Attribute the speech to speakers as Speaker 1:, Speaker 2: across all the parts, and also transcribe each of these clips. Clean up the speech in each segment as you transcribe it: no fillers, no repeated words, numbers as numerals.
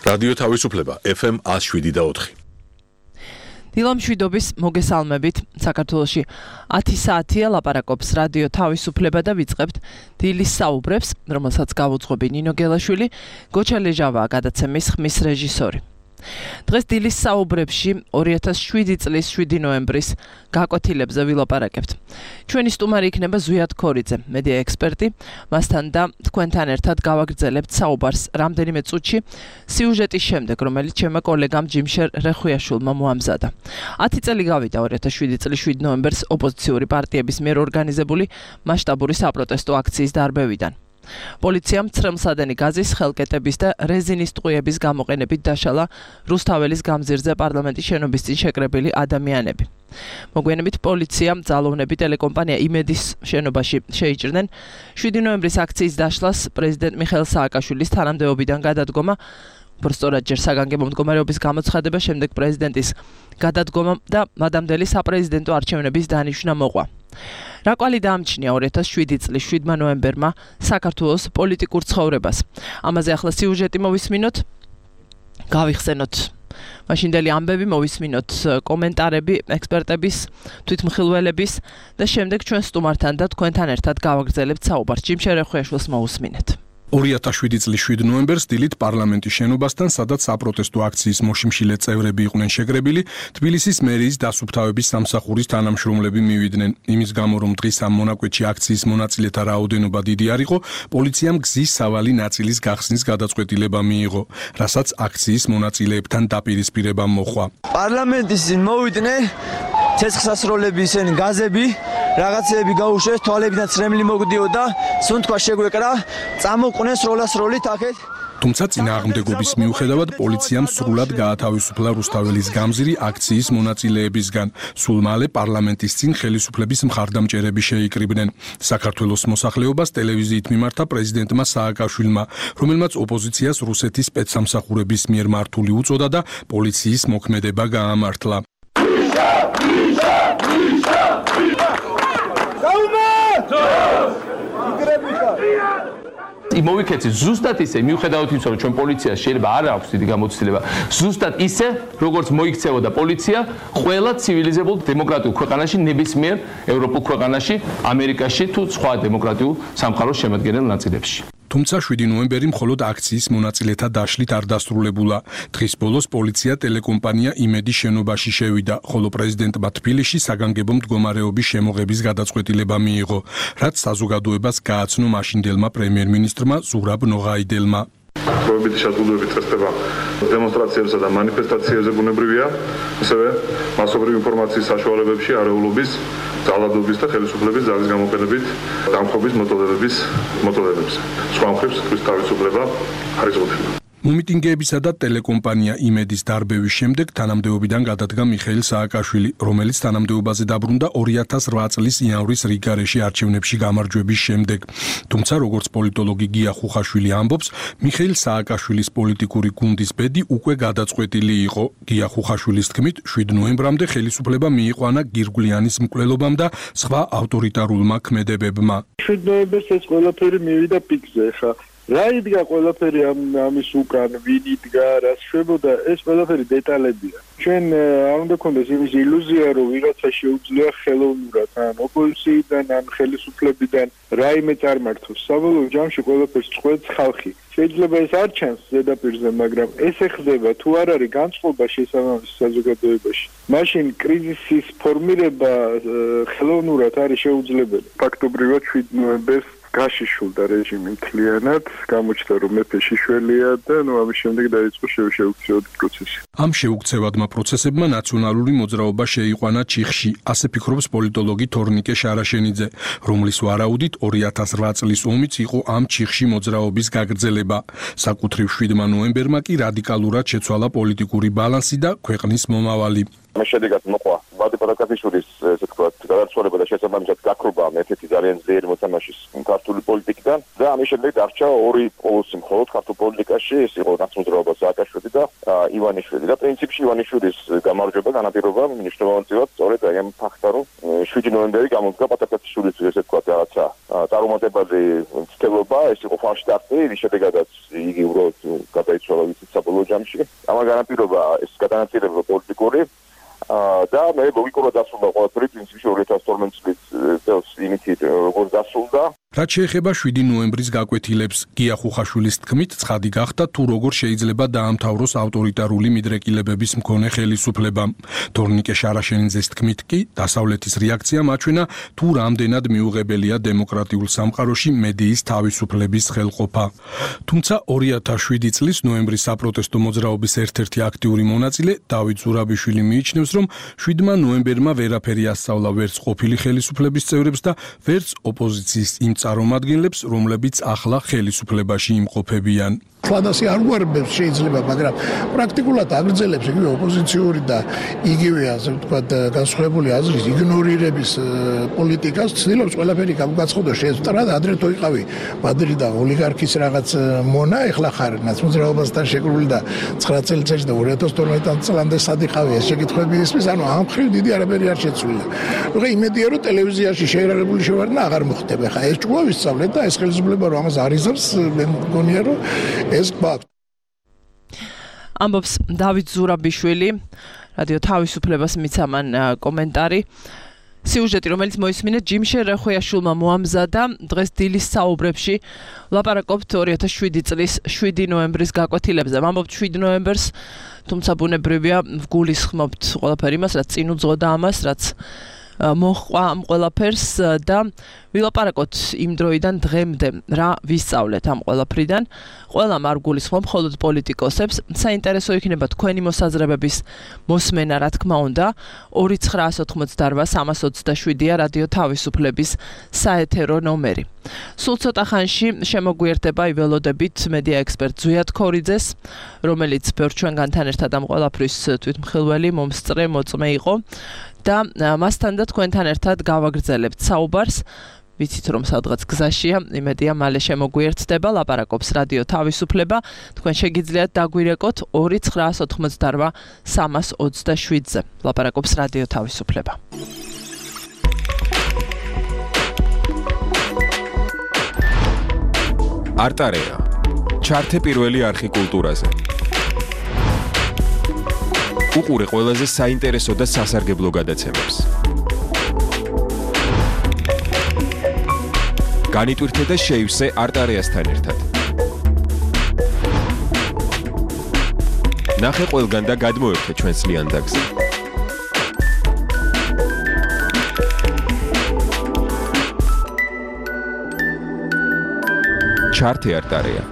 Speaker 1: რადიო თავისუფლება FM 107.4.
Speaker 2: დილამშვიდობის მოგესალმებით. საქართველოში 10 საათია ლაპარაკობს რადიო თავისუფლება და ვიწყებთ დილის საუბრებს, რომელსაც გავუძღვები ნინო გელაშვილი, გოჩა ლეჟავაა გადაცემის ხმის რეჟისორი. დღეს დილის საუბრებში 2007 წლის 7 ნოემბრის გაკვეთილებზე ვილაპარაკებთ. ჩვენი სტუმარი იქნება ზვიად ქორიძე, მედია ექსპერტი, მასთან და თქვენთან ერთად გავაგრძელებთ საუბარს რამდენიმე წუთში სიუჟეტის შემდეგ, რომელიც ჩემმა კოლეგამ ჯიმშერ რეხუიაშვილმა მოამზადა. 10 წელი გავიდა 2007 წლის 7 ნოემბერს ოპოზიციური პარტიების მიერ ორგანიზებული მასშტაბური საპროტესტო აქციის დარბევიდან. პოლიციამ ცრემლსადენი გაზის, ხელკეტების და რეზინის ტყვიების გამოყენებით დაშალა რუსთაველის გამზირზე პარლამენტის შენობის წინ შეკრებილი ადამიანები. მოგვიანებით პოლიციამ ძალოვნები ტელეკომპანია იმედის შენობაში შეიჭრნენ. 7 ნოემბრის აქციის დაშლას პრეზიდენტ მიხეილ სააკაშვილის თანამდებობიდან გადადგომა, უბრალოდ ჯერ საგანგებო მდგომარეობის გამოცხადება, შემდეგ პრეზიდენტის გადადგომა და მადამდელი საპრეზიდენტო არჩევნების დანიშვნა მოყვა. რა კვალი დაამჩნია 2007 წლის 7 ნოემბერმა საქართველოს პოლიტიკურ ცხოვრებას. ამაზე ახლა სიუჟეტი მოვისმინოთ, გავიხსენოთ მაშინდელი ამბები, მოვისმინოთ კომენტარები ექსპერტების, თვითმხილველების და შემდეგ ჩვენ სტუმართან და თქვენთან ერთად გავაგრძელებთ საუბარს. ჯიმშერ რეხუიაშვილს მოусმინეთ.
Speaker 3: 2007 წლის 7 ნოემბერს დილით პარლამენტის შენობასთან, სადაც საპროტესტო აქციის მოშიმშილე წევრები იყვნენ შეკრებილი, თბილისის მერიის დასუფთავების სამსახურის თანამშრომლები მივიდნენ. იმის გამო, რომ დღის ამ მონაკვეთში აქციის მონაწილეთა რაოდენობა დიდი არ იყო, პოლიციამ გზის სავალი ნაწილის გახსნის გადაწყვეტილება მიიღო, რასაც აქციის მონაწილეებთან დაპირისპირება მოხდა.
Speaker 4: პარლამენტის წინ მოვიდნენ ცეცხლსასროლები, ისინი გაზები, რაღაცეები გაუშვეს, თვალებიდან ცრემლი მოგდიოდა, სუნთქვა შეგვეკრა, წამოყვნენ სროლასროლით აქეთ.
Speaker 3: თუმცა წინააღმდეგობის მიუხედავად პოლიციამ სრულად გაათავისუფლა რუსთაველის გამზირი აქციის მონაწილეებისგან. სულ მალე პარლამენტის წინ ხელისუფლების მხარდამჭერები შეიკრიბნენ. საქართველოს მოსახლეობას ტელევიზიით მიმართა პრეზიდენტმა სააკაშვილმა, რომელმაც ოპოზიციას რუსეთის სპეცსამსახურების მიერ მართული უწოდა და პოლიციის მოქმედება გაამართლა.
Speaker 5: მოვიქეცი ზუსტად ისე, მიუხედავად იმისა, რომ ჩვენ პოლიციას შეიძლება არ აქვს დიდი გამოცდილება, ზუსტად ისე, როგორც მოიქცეოდა პოლიცია ყველა ცივილიზებულ დემოკრატიულ ქვეყანაში, ნებისმიერ ევროპულ ქვეყანაში, ამერიკაში თუ სხვა დემოკრატიულ სამყაროს შემადგენელ ნაწილებში.
Speaker 3: თუმცა 7 ნოემბერი მხოლოდ აქციის მონაწილეთა დაშლით არ დასრულებულა. დღის ბოლოს პოლიცია ტელეკომპანია იმედის შენობაში შევიდა, ხოლო პრეზიდენტმა თბილისში საგანგებო მდგომარეობის შემოღების გადაწყვეტილება მიიღო, რაც საზოგადოებას გააცნო მაშინდელმა პრემიერ-მინისტრმა ზურაბ ნოღაიდელმა.
Speaker 6: პრობლემების შეზღუდვების წესდება დემონსტრაციებსა და მანიფესტაციებზე ბუნებრივია, ასევე მასობრივი ინფორმაციის საშუალებებში არეულობის, ძალადობის და ხელისუფლების ძალის გამოყენებით დამხობის მოტოდებებს. სხვა მხრივ სიტყვის თავისუფლება არ იზღუდება.
Speaker 3: მომიტინგეებისა და ტელეკომპანია იმედის დარბევის შემდეგ თანამდებობიდან გადადგა მიხეილ სააკაშვილი, რომელიც თანამდებობაზე დაბრუნდა 2008 წლის იანვრის რიგარეში არჩევნებში გამარჯვების შემდეგ. თუმცა, როგორც პოლიტოლოგი გია ხუხაშვილი ამბობს, მიხეილ სააკაშვილის პოლიტიკური გუნდის ბედი უკვე გადაწყვეტილი იყო. გია ხუხაშვილის თქმით, 7 ნოემბრამდე ხელისუფლება მიიყვანა გირგვლიანის მკვლელობამ და სხვა ავტორიტარულმა ქმედებებმა.
Speaker 7: 7 ნოემბერს ეს ყველაფერი მივიდა პიკზე, ხა რა იდგა ყველაფერი ამის უკან, ვინ იდგა, რა შვებოდა, ეს ყველაფერი დეტალებია. ჩვენ არ უნდა გქონდეს იმის ილუზია, რომ ვიღაცა შეუძლია ხელოვნურად, ან ოპოზიციიდან, ან ხელისუფლებიდან რაიმე წარმართოს. საბოლოო ჯამში ყველაფერს წყვეტს ხალხი. შეიძლება ეს არ ჩანს ზედაპირზე, მაგრამ ეს ეხდება, თუ არ არის განწყობა შესაბამის საზოგადოებაში. მაშინ კრიზისის ფორმირება ხელოვნურად არის შეუძლებელი. ფაქტობრივად 7 ნოემბერს გაშიშულდა რეჟიმი მთლიანად, გამოჩნდა რომ მეფე შიშველია და ამის შემდეგ დაიწყო შეუქცევადი პროცესი.
Speaker 3: ამ შეუქცევადმა პროცესებმა ნაციონალური მოძრაობა შეიყვანა ჩიხში, ასე ფიქრობს პოლიტოლოგი თორნიკე შარაშენიძე, რომლის ვარაუდით 2008 წლის ომიც იყო ამ ჩიხში მოძრაობის გაგრძელება. საკუთრივ 7 ნოემბერმა კი რადიკალურად შეცვალა პოლიტიკური ბალანსი და ქვეყნის მომავალი.
Speaker 8: ამის შედეგად მოყვა ვადიმ პატაკაშვილის, ესე ვთქვათ, გადაწყვეტილება და შესაბამისად გაქრობა ერთ-ერთი ძალიან ძლიერი მოთამაშის ქართული პოლიტიკიდან და ამის შემდეგ დარჩა ორი პოლუსი მხოლოდ ქართულ პოლიტიკაში, ეს იყო ნაცნობრაობა სააკაშვილი და ივანიშვილი და პრინციპში ივანიშვილის გამარჯვება განაპირობა მნიშვნელოვნად სწორედ აი ამ ფაქტთან, რომ 7 ნოემბერი გამოდგა პატაკაციშვილის ესე თქვა რაღაცა წარუმატებელი ცდილობა, ეს იყო ფალშტარტი, რის შედეგადაც იგი უბრალოდ გადაიცვალა ვიცით საბოლოო ჯამში. ამან განაპირობა ეს გადანაწილება პოლიტიკური და მე ლოგიკურად დასრულდა ყველაფერი პრინციპში 2012 წელს იმით როგორ დასრულდა.
Speaker 3: რაც შეეხება 7 ნოემბრის გაკვეთილებს, გია ხუხაშვილის თქმით, ცხადი გახდა თუ როგორ შეიძლება დაამთავროს ავტორიტარული მიდრეკილებების მქონე ხელისუფლება. თორნიკე შარაშენიძეს თქმით კი, დასავლეთის რეაქცია მაჩვენა თუ რამდენად მიუღებელია დემოკრატიულ სამყაროში მედიის თავისუფლების ხელყოფა. თუმცა 2007 წლის ნოემბრის საპროტესტო მოძრაობის ერთ-ერთი აქტიური მონაწილე დავით ზურაბიშვილი მიიჩნევს, რომ 7 ნოემბერმა ვერაფერი ასწავლა ვერც ყოფილი ხელისუფლების წევრებს და ვერც ოპოზიციის იმ წარმომადგენლებს, რომლებიც ახლა ხელისუფლებაში იმყოფებიან.
Speaker 9: ფლადასი არ გვარებებს შეიძლება, მაგრამ პრაქტიკულად აგრძელებს იგივე ოპოზიციური და იგივე ასე ვთქვათ განსხვავებული აზრის იგნორირების პოლიტიკას, ცდილობს ყველაფერი გამოგაცხადოს შეესწრად, ადრე თუ იყავი მადრიდიდან ოლიგარქის რაღაც მონა, ეხლა ხარ ნაცმოძრაობასთან შეკრული და 9 წელიწადში და 2012 წლამდე სად იყავი ეს შეკითხვები ისმის, ანუ ამ ხრივ დიდი არაფერი არ შეცვლილა. ნუ იმედია რომ ტელევიზიაში შეერარებული შევარდნა აღარ მოხდება. ხა ეს ჭკუა ვისწავლეთ და ეს ხელისუფლება რომ ამას არიზებს, მე მგონია რომ ეს გვაქვს.
Speaker 2: ამბობს დავით ზურაბიშვილი, რადიო თავისუფლებას მიცემან კომენტარი. სიუჟეტი, რომელიც მოისმინეთ ჯიმშე რეხვიაშვილმა მოამზადა, დღეს დილის საუბრებში ვლაპარაკობთ 2007 წლის 7 ნოემბრის გაკვეთილებზე. ამბობთ 7 ნოემბერს, თუმცა ბუნებრივია ვგულისხმობთ ყველაფერი იმას, რაც წინ უძღოდა ამას, რაც მოჰყვა ამ ყველაფერს და ვილაპარაკოთ იმ დროიდან დღემდე რა ვისწავლეთ ამ ყველაფრიდან. ყველამ არ გულისხმობ, მხოლოდ პოლიტიკოსებს. საინტერესო იქნება თქვენი მოსაზრებების მოსმენა, რა თქმა უნდა. 2988327-ა რადიო თავისუფლების საეთერო ნომერი. სულ ცოტა ხანში შემოგვიერთება იველოდებით მედია ექსპერტ ზვიად ქორიძეს, რომელიც ბევრ ჩვენგანთან ერთად ამ ყველაფრის თვითმხილველი, მომსწრე, მოწმე იყო და მასთან და თქვენთან ერთად გავაგრძელებთ საუბარს. ვიცით რომ სადღაც გზაშია, იმედია მალე შემოგვიერთდება, ლაპარაკობს რადიო თავისუფლება. თქვენ შეგიძლიათ დაგვირეკოთ 2988327-ზე. ლაპარაკობს რადიო თავისუფლება.
Speaker 10: არტარეა. ჩართე პირველი არხი კულტურაზე. უყურე ყველაზე საინტერესო და სასარგებლო გადაცემებს. განიტვირთე და შეივსე არტარეასთან ერთად. ნახე ყველგან და გადმოერთე ჩვენს ლიანდაგზე. ჩართე არტარეა.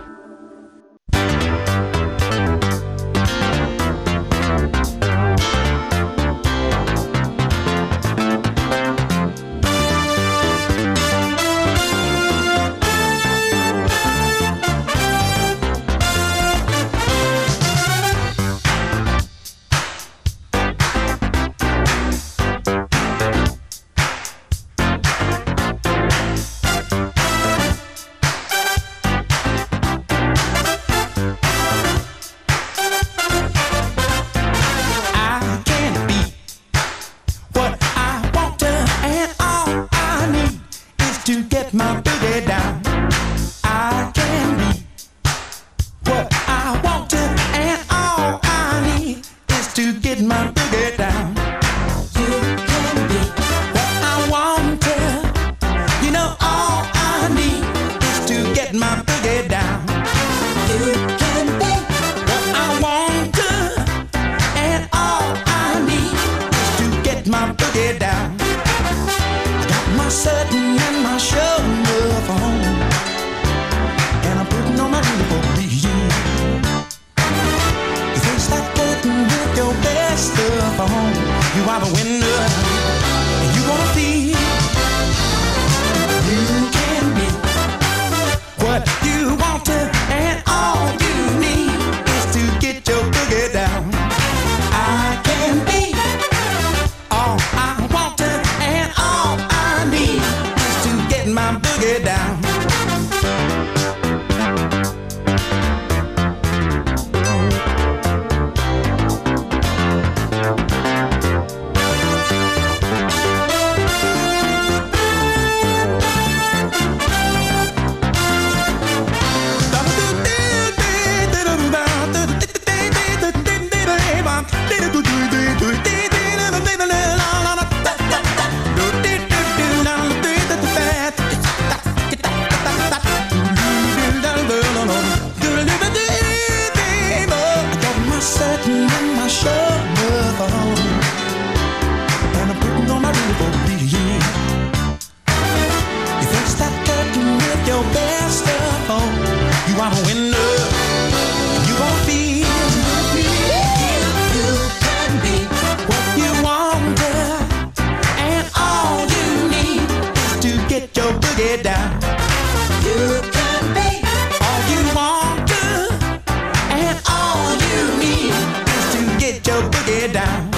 Speaker 11: boogie down. You can be all you want to, and all you need is to get your boogie down.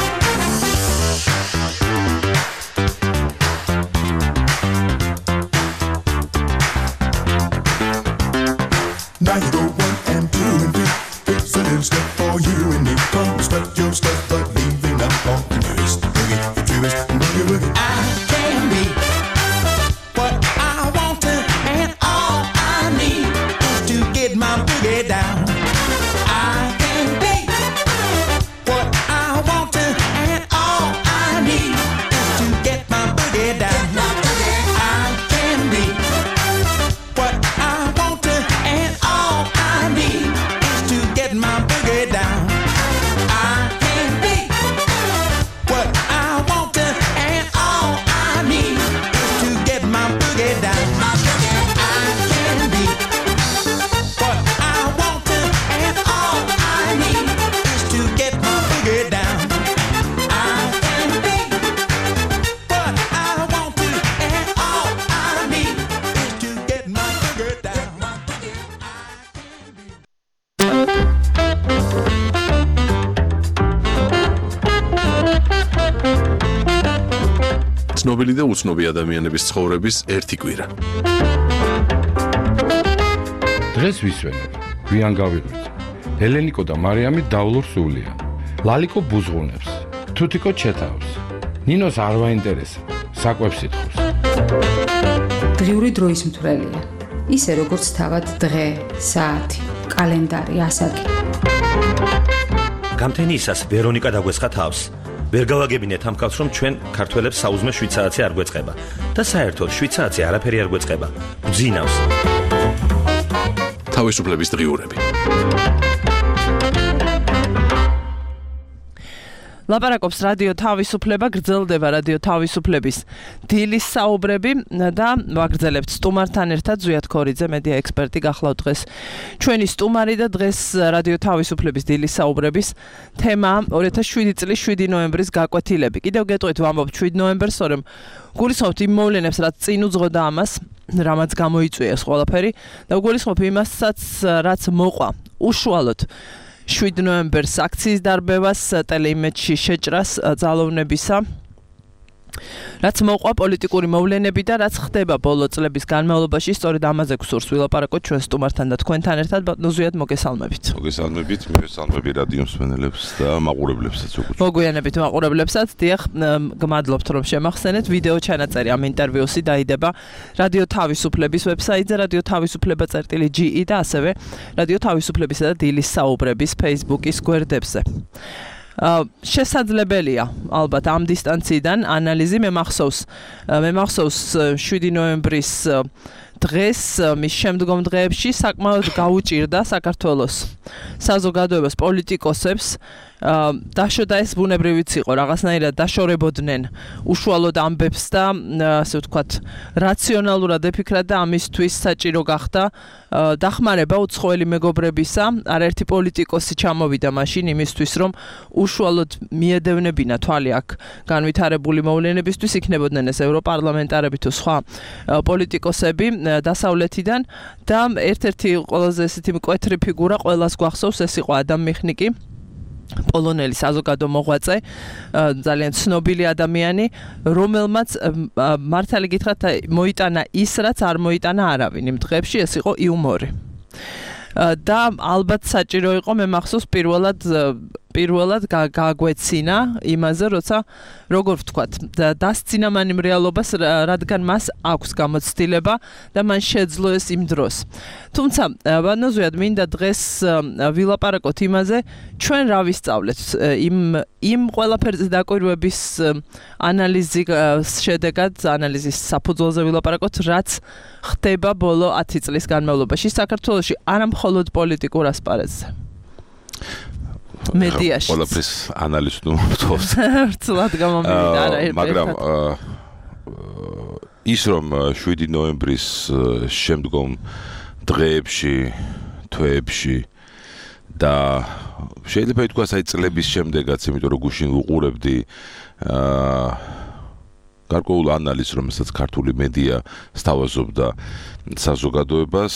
Speaker 12: Now you go 1 and 2 and 3. It's a little step for you and me. Come strut your stuff, but leaving up all the newest boogie, the truest boogie woogie.
Speaker 11: I can be what I want to, and all I need is to get my boogie down. I can be what I want to, and all I need is to get my boogie down. I can be what I want to, and all I need is to get my boogie down. I can be what I want to, and all I need is to get my boogie down. I can be what I want to, and all I need is to get my boogie down. I can be what I want to, and all I need is to get my boogie down.
Speaker 1: ცნობილი და უცნობი ადამიანების ცხოვრების ერთი კვირა.
Speaker 13: დღეს ვისვენებ, გვიან გავიღვიძ. ელენიკო და მარიამი დავლურ სულია. ლალიკო ბუზღუნებს, თუთიკო ჩეთავს. ნინოს არ ვაინტერესებს, საკვებს ითხოვს.
Speaker 14: დღიური დროის მთვრელია. ისე როგორც თავად დღე, საათი, კალენდარი, ასაკი.
Speaker 15: გამთენიისას ვერონიკა დაგვესხა თავს. ვერ გავაგებინეთ ამ კაცს, რომ ჩვენ ქართველებს საუზმე შვიცააცი არ გვეწყება და საერთოდ შვიცააცი არაფერი არ გვეწყება. გძინავს.
Speaker 1: თავისუფლების დღიურები.
Speaker 2: ლაპარაკობს რადიო თავისუფლება, გრძელდება რადიო თავისუფლების დილის საუბრები და ვაგრძელებთ სტუმართან ერთად ზვიად ქორიძე, მედია ექსპერტი გახლავთ დღეს ჩვენი სტუმარი და დღეს რადიო თავისუფლების დილის საუბრების თემა 2007 წლის 7 ნოემბრის გაკვეთილები. კიდევ გეტყვით ვამბობ 7 ნოემბერს, რომ გულისხმობთ იმ მოვლენებს, რაც წინ უძღოდა ამას, რამაც გამოიწვია ეს ყველაფერი და გულისხმობ იმასაც, რაც მოყვა უშუალოდ 7 ნოემბერს აქციის დარბევას, ტელეიმედში შეჭრას ძალოვნებისა, რაც მოყვა პოლიტიკური მოვლენები და რაც ხდება ბოლო წლების განმავლობაში, სწორედ ამაზე გსურს ვილაპარაკოთ ჩვენ სტუმართან და თქვენთან ერთად. ბატონო ზვიად, მოგესალმებით.
Speaker 16: მოგესალმებით, მივესალმები რადიო მსმენელებს და მაყურებლებსაც უკვე.
Speaker 2: მოგვიანებით მაყურებლებსაც, დიახ, გმადლობთ რომ შემახსენეთ. ვიდეო ჩანაწერი ამ ინტერვიუსი დაიდება რადიო თავისუფლების ვებსაიტზე, რადიო თავისუფლება.ge და ასევე რადიო თავისუფლებისა და დილის საუბრების Facebook-ის გვერდებზე. შესაძლებელია ალბათ ამ დისტანციიდან ანალიზი. მე მახსოვს 7 ნოემბრის დღეს მის შემდგომ დღეებში საკმაოდ გაუჭირდა საქართველოს საზოგადოებას, პოლიტიკოსებს დაშოდა ეს ბუნებრივიც იყო, რაღაცნაირად დაშორებოდნენ უშუალოდ ამბებს და ასე ვთქვათ რაციონალურად ეფიქრათ და ამისთვის საჭირო გახდა დახმარება უცხოელი მეგობრებისა. არაერთი პოლიტიკოსი ჩამოვიდა მაშინ იმისთვის, რომ უშუალოდ მიედევნებინა თვალი აქ განვითარებული მოვლენებისთვის, იქნებოდნენ ეს ევროპარლამენტარები თუ სხვა პოლიტიკოსები დასავლეთიდან და ერთ-ერთი ყველაზე ესეთი მკვეთრი ფიგურა ყველას გვახსოვს, ეს იყო ადამ მიხნიკი, პოლონელი საზოგადო მოღვაწე, ძალიან ცნობილი ადამიანი, რომელმაც მართალი გითხრათ მოიტანა ის, რაც არ მოიტანა არავინ იმ დღეებში, ეს იყო იუმორი. და ალბათ საჭირო იყო, მე მახსოვს პირველად გაგვეცინა იმაზე, როცა როგორ ვთქვათ, დასცინა მან იმ რეალობას, რადგან მას აქვს გამოცდილება და მან შეძლო ეს იმ დროს. თუმცა, ბატონო ზვიად, მინდა დღეს ვილაპარაკოთ იმაზე, ჩვენ რა ვისწავლეთ იმ ყველაფერზე დაკვირვების ანალიზის შედეგად, ანალიზის საფუძველზე ვილაპარაკოთ, რაც ხდება ბოლო 10 წლის განმავლობაში საქართველოში, არა მხოლოდ პოლიტიკურ ასპარეზზე. მედიაში.
Speaker 16: ყველაფრის ანალიზს ვთხოვთ.
Speaker 2: რთულად გამომივიდა არა ერთ-ერთი.
Speaker 16: მაგრამ ის რომ 7 ნოემბრის შემდგომ დღეებში, თვეებში და შეიძლება ითქვას აი წლების შემდეგაც, იმიტომ რომ გუშინ უყურებდი გარკვეულ ანალიზს, რომელსაც ქართული მედია სთავაზობდა საზოგადოებას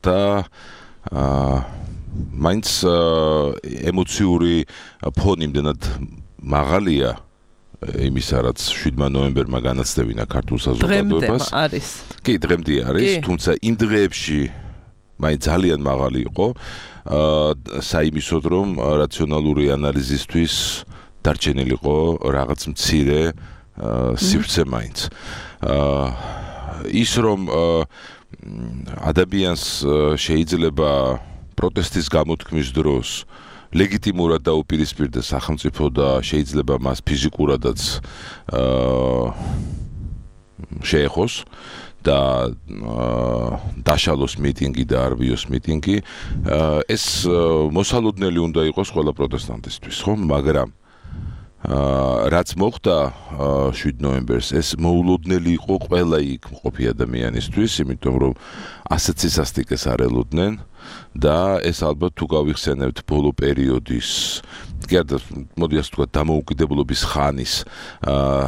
Speaker 16: და მაინც ემოციური ფონი იმდენად მაღალია იმისა, რაც 7 ნოემბერმა განაცდებინა ქართულ საზოგადოებას.
Speaker 2: დღემდე არის.
Speaker 16: კი, დღემდე არის, თუმცა იმ დღეებში მაინც ძალიან მაღალი იყო, საიმისოდ რომ რაციონალური ანალიზისთვის დარჩენილიყო რაღაც მცირე სივრცე მაინც. ის რომ ადამიანს შეიძლება პროტესტის გამოთქმის დროს ლეგიტიმურად დაუპირისპირდეს სახელმწიფო და შეიძლება მას ფიზიკურადაც შეეხოს და დაშალოს მიტინგი და არ ვიოს მიტინგი, ეს მოსალოდნელი უნდა იყოს ყველა პროტესტანტისთვის, ხო? მაგრამ რაც მოხდა 7 ნოემბერს, ეს მოულოდნელი იყო ყველა იქ მყოფი ადამიანისთვის, იმიტომ რომ ასეთ სისასტიკეს არ ელოდნენ და ეს ალბათ თუ გავიხსენებთ ბოლო პერიოდის, კი არა, მოდი ასე ვთქვათ, დამოუკიდებლობის ხანის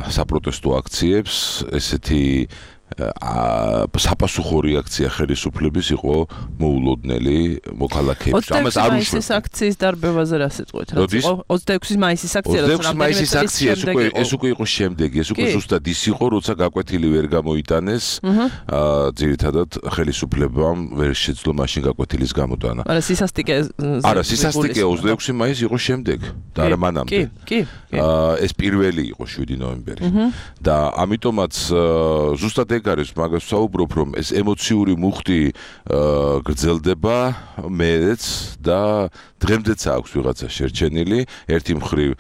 Speaker 16: საპროტესტო აქციებს, ესეთი საპასუხო რეაქცია ხელისუფლების იყო მოულოდნელი მოქალაქეებს.
Speaker 2: ამას არ უშევ. 26 აქციის დარბევაზე რა სიტყვით? რაც იყო 26 მაისის აქცია,
Speaker 16: როცა 26 მაისის აქცია, ეს უკვე იყო შემდეგი, ეს უკვე ზუსტად ის იყო, როცა გაკვეთილი ვერ გამოიტანეს, ძირითადად ხელისუფლებამ ვერ შეძლო მაშინ გაკვეთილის გამოტანა.
Speaker 2: არა, სისასტიკე
Speaker 16: 26 მაისი იყო შემდეგ და არა მანამდე.
Speaker 2: კი.
Speaker 16: ეს პირველი იყო 7 ნოემბერი. და ამიტომაც ზუსტად არის მაგას საუბრობ, რომ ეს ემოციური მუხტი გრძელდება მეც და დღემდეც აქვს ვიღაცა შერჩენილი, ერთი მხრივ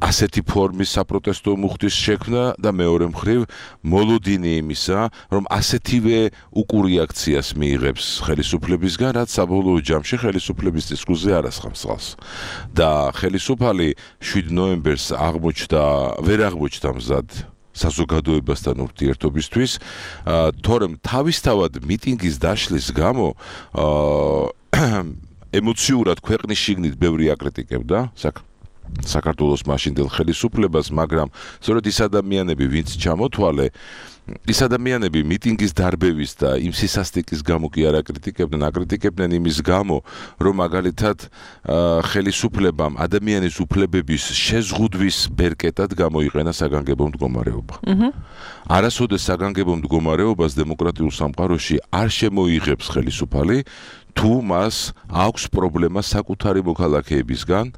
Speaker 16: ასეთი ფორმის საპროტესტო მუხტის შექმნა და მეორე მხრივ მოლოდინი იმისა, რომ ასეთივე უკურიაქციას მიიღებს ხელისუფლებისგან, რაც საბოლოო ჯამში ხელისუფლების დისკუსზე არ ასხამს ხალხს. და ხელისუფალი 7 ნოემბერს ვერ აღმოჩნდა მზად საზოგადოებასთან ურთიერთობისთვის, თორემ თავისთავად მიტინგის დაშლის გამო ემოციურად ქვეყნის შიგნით ბევრი აკრიტიკებდა საქართველოს მაშინდელ ხელისუფლებას, მაგრამ სწორედ ის ადამიანები, ვინც ჩამოთვალე, ის ადამიანები მიტინგის დარბევის და იმ სისასტიკის გამო კი არ აკრიტიკებდნენ იმის გამო, რომ მაგალითად ხელისუფლებამ ადამიანის უფლებების შეზღუდვის ბერკეტად გამოიყენა საგანგებო მდგომარეობა. არასოდეს საგანგებო მდგომარეობას დემოკრატიულ სამყაროში არ შემოიღებს ხელისუფალი, თუ მას აქვს პრობლემა საკუთარი მოქალაქეებისგან,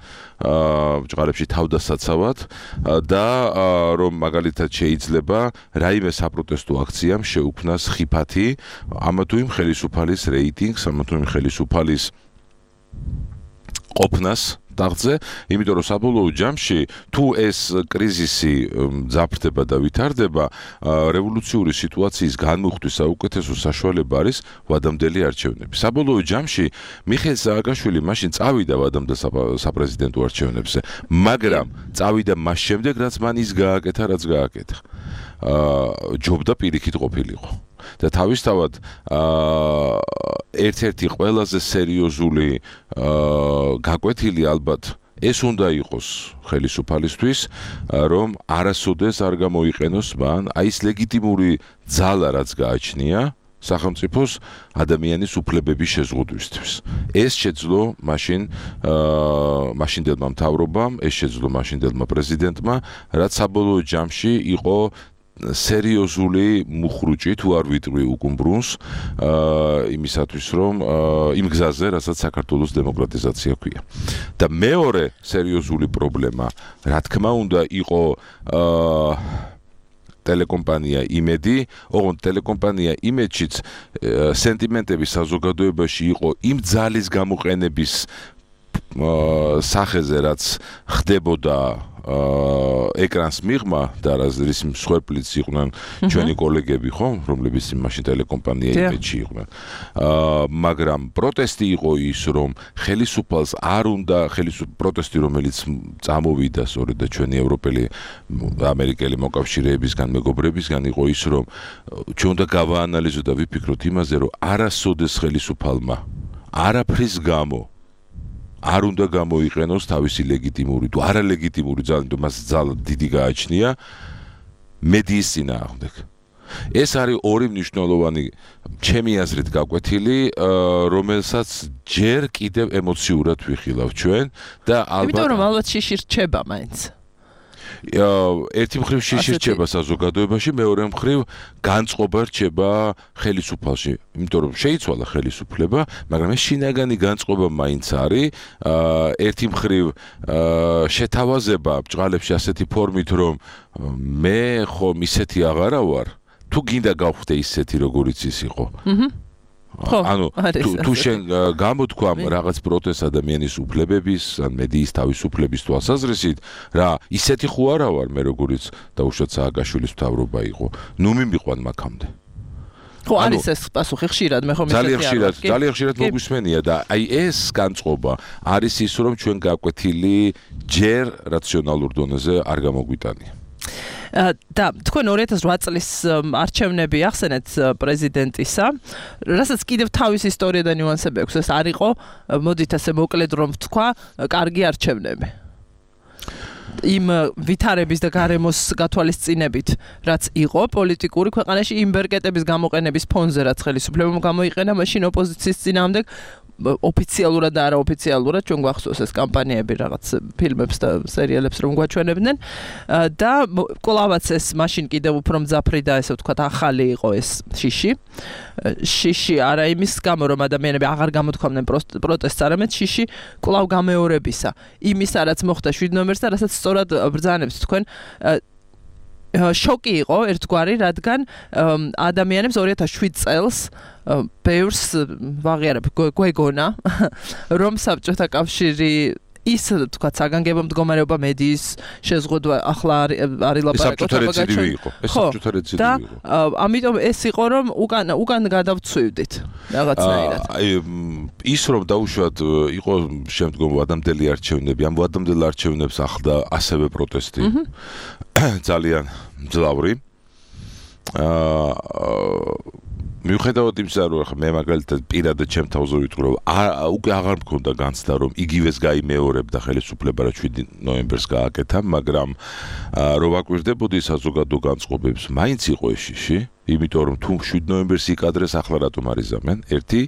Speaker 16: ჭყარებში თავდასაცავად და რომ მაგალითად შეიძლება რაიმე საპროტესტო აქციამ შეუქმნას ხიფათი ამა თუ იმ ხელისუფალის რეიტინგს, ამა თუ იმ ხელისუფალის ყოფნას ტახტზე, იმიტომ რომ საბოლოო ჯამში თუ ეს კრიზისი მძაფრდება და ვითარდება, რევოლუციური სიტუაციის განმუხტვის საუკეთესო საშუალება არის ვადამდელი არჩევნები. საბოლოო ჯამში მიხეილ სააკაშვილი მაშინ წავიდა ვადამდელ საპრეზიდენტო არჩევნებზე, მაგრამ წავიდა მას შემდეგ, რაც მან ის გააკეთა, რაც გააკეთა. ჯობდა პირიქით ყოფილიყო. და თავისთავად ერთ-ერთი ყველაზე სერიოზული გაკვეთილი ალბათ ეს უნდა იყოს ხელისუფალისთვის, რომ არასოდეს არ გამოიყენოს მან აი ეს ლეგიტიმური ძალა, რაც გააჩნია სახელმწიფოს ადამიანის უფლებების შეზღუდვისთვის. ეს შეძლო მაშინდელმა მთავრობამ, ეს შეძლო მაშინდელმა პრეზიდენტმა, რაც საბოლოო ჯამში იყო სერიოზული მუხრუჭი თუ არ ვიტყვი უკუმბრუნს იმისათვის რომ იმ გზაზე რასაც საქართველოს დემოკრატიზაცია ქვია. და მეორე სერიოზული პრობლემა, რა თქმა უნდა, იყო ტელეკომპანია იმედი, ოღონდ ტელეკომპანია იმედშიც სენტიმენტები საზოგადოებაში იყო იმ ძალის გამოყენების სახეზე, რაც ხდებოდა ეკრანს მიღმა და რის მსხვერპლიც იყვნენ ჩვენი კოლეგები, ხო, რომლებიც მაშინ ტელეკომპანია იმედში იყვნენ. მაგრამ პროტესტი იყო ის, რომ ხელისუფალს არ უნდა პროტესტი, რომელიც წამოვიდა სწორედ და ჩვენი ევროპელი ამერიკელი მოკავშირეებისგან, მეგობრებისგან იყო ის, რომ ჩვენ უნდა გავაანალიზოთ და ვიფიქროთ იმაზე, რომ არასოდეს ხელისუფალმა არაფრის გამო არ უნდა გამოიყენოს თავისი ლეგიტიმური თუ არალეგიტიმური ძალა, მას ძალა დიდი გააჩნია მედიის წინააღმდეგ. ეს არის ორი მნიშვნელოვანი ჩემი აზრით გაკვეთილი, რომელსაც ჯერ კიდევ ემოციურად ვიხილავ ჩვენ და ალბათ
Speaker 2: იმიტომ რომ ალბათ შიში რჩება მაინც.
Speaker 16: ერთი მხრივ შიში რჩება საზოგადოებაში, მეორე მხრივ განწყობა რჩება ხელისუფალში, იმიტომ რომ შეიცვალა ხელისუფლება, მაგრამ ეს შინაგანი განწყობა მაინც არის, ერთი მხრივ შეთავაზება ბჭყალებში ასეთი ფორმით, რომ მე ხომ ისეთი აღარა ვარ, თუ გინდა გავხდე ისეთი როგორიც ის იყო. ანუ თუ შენ გამოთქვამ რაღაც პროტესტ ადამიანის უფლებების, ან მედიის თავისუფლების თვალსაზრისით, რა ისეთი ხო არა ვარ მე როგორიც დაუშვათ სააკაშვილის მთავრობა იყო. ნუ მიმიყვან მაგამდე.
Speaker 2: ხო არის ეს პასუხი ხშირად მე ხომ
Speaker 16: ძალიან ხშირად მოგვისმენია და აი ეს განწყობა არის ის რომ ჩვენ გაკვეთილი ჯერ რაციონალურ დონეზე არ გამოგვიტანია.
Speaker 2: და თქვენ 2008 წლის არჩევნები ახსენეთ პრეზიდენტისა, რასაც კიდევ თავის ისტორია და ნიუანსები აქვს, ეს არ იყო, მოდით ასე მოკლედ რომ ვთქვა, კარგი არჩევნები. იმ ვითარების და გარემოს გათვალისწინებით, რაც იყო პოლიტიკური ქვეყანაში იმ ბერკეტების გამოყენების ფონზე, რაც ხელისუფლებამ გამოიყენა მაშინ ოპოზიციის წინააღმდეგ, ოფიციალურად და არაოფიციალურად ჩვენ გვახსოვს ეს კამპანიები რაღაც ფილმებს და სერიალებს რომ გვაჩვენებდნენ და კვლავაც ეს მაშინ კიდევ უფრო მძაფრი და ესე ვთქვათ ახალი იყო ეს შიში არა იმის გამო რომ ადამიანები აღარ გამოთქვამდნენ პროტესტს, არამედ შიში კვლავ გამეორებისა იმისა რაც მოხდა 7 ნოემბერს და რასაც სწორად ბრძანებს თქვენ შოკი იყო ერთგვარი, რადგან ადამიანებს 2007 წელს ბევრს ვაღიარებ გვეგონა რომ საბჭოთა კავშირი ის თქვათ საგანგებო მდგომარეობა მედიის შეზღუდვა ახლა არის ლაპარაკი
Speaker 16: და
Speaker 2: ამიტომ ეს იყო რომ უკან გადავცვივდით რაღაცნაირად.
Speaker 16: ის რომ დაუშვათ იყო შემდგომ ვადამდელი არჩევნები, ამ ვადამდელ არჩევნებს ახლდა ასევე პროტესტი. ძალიან მძლავრი. მიუხედავად იმისა, რომ მე მაგალითად პირადად ჩემ თავზე ვიტყვი, რომ უკვე აღარ მქონდა განცდა, რომ იგივეს გაიმეორებდა ხელისუფლება, რა 7 ნოემბერს გააკეთა, მაგრამ რომ ვაკვირდებოდი საზოგადო განწყობებს, მაინც იყო ეს შიში, იმიტომ რომ თუ 7 ნოემბერს იკადრეს, ახლა რატომ არ იზამენ? ერთი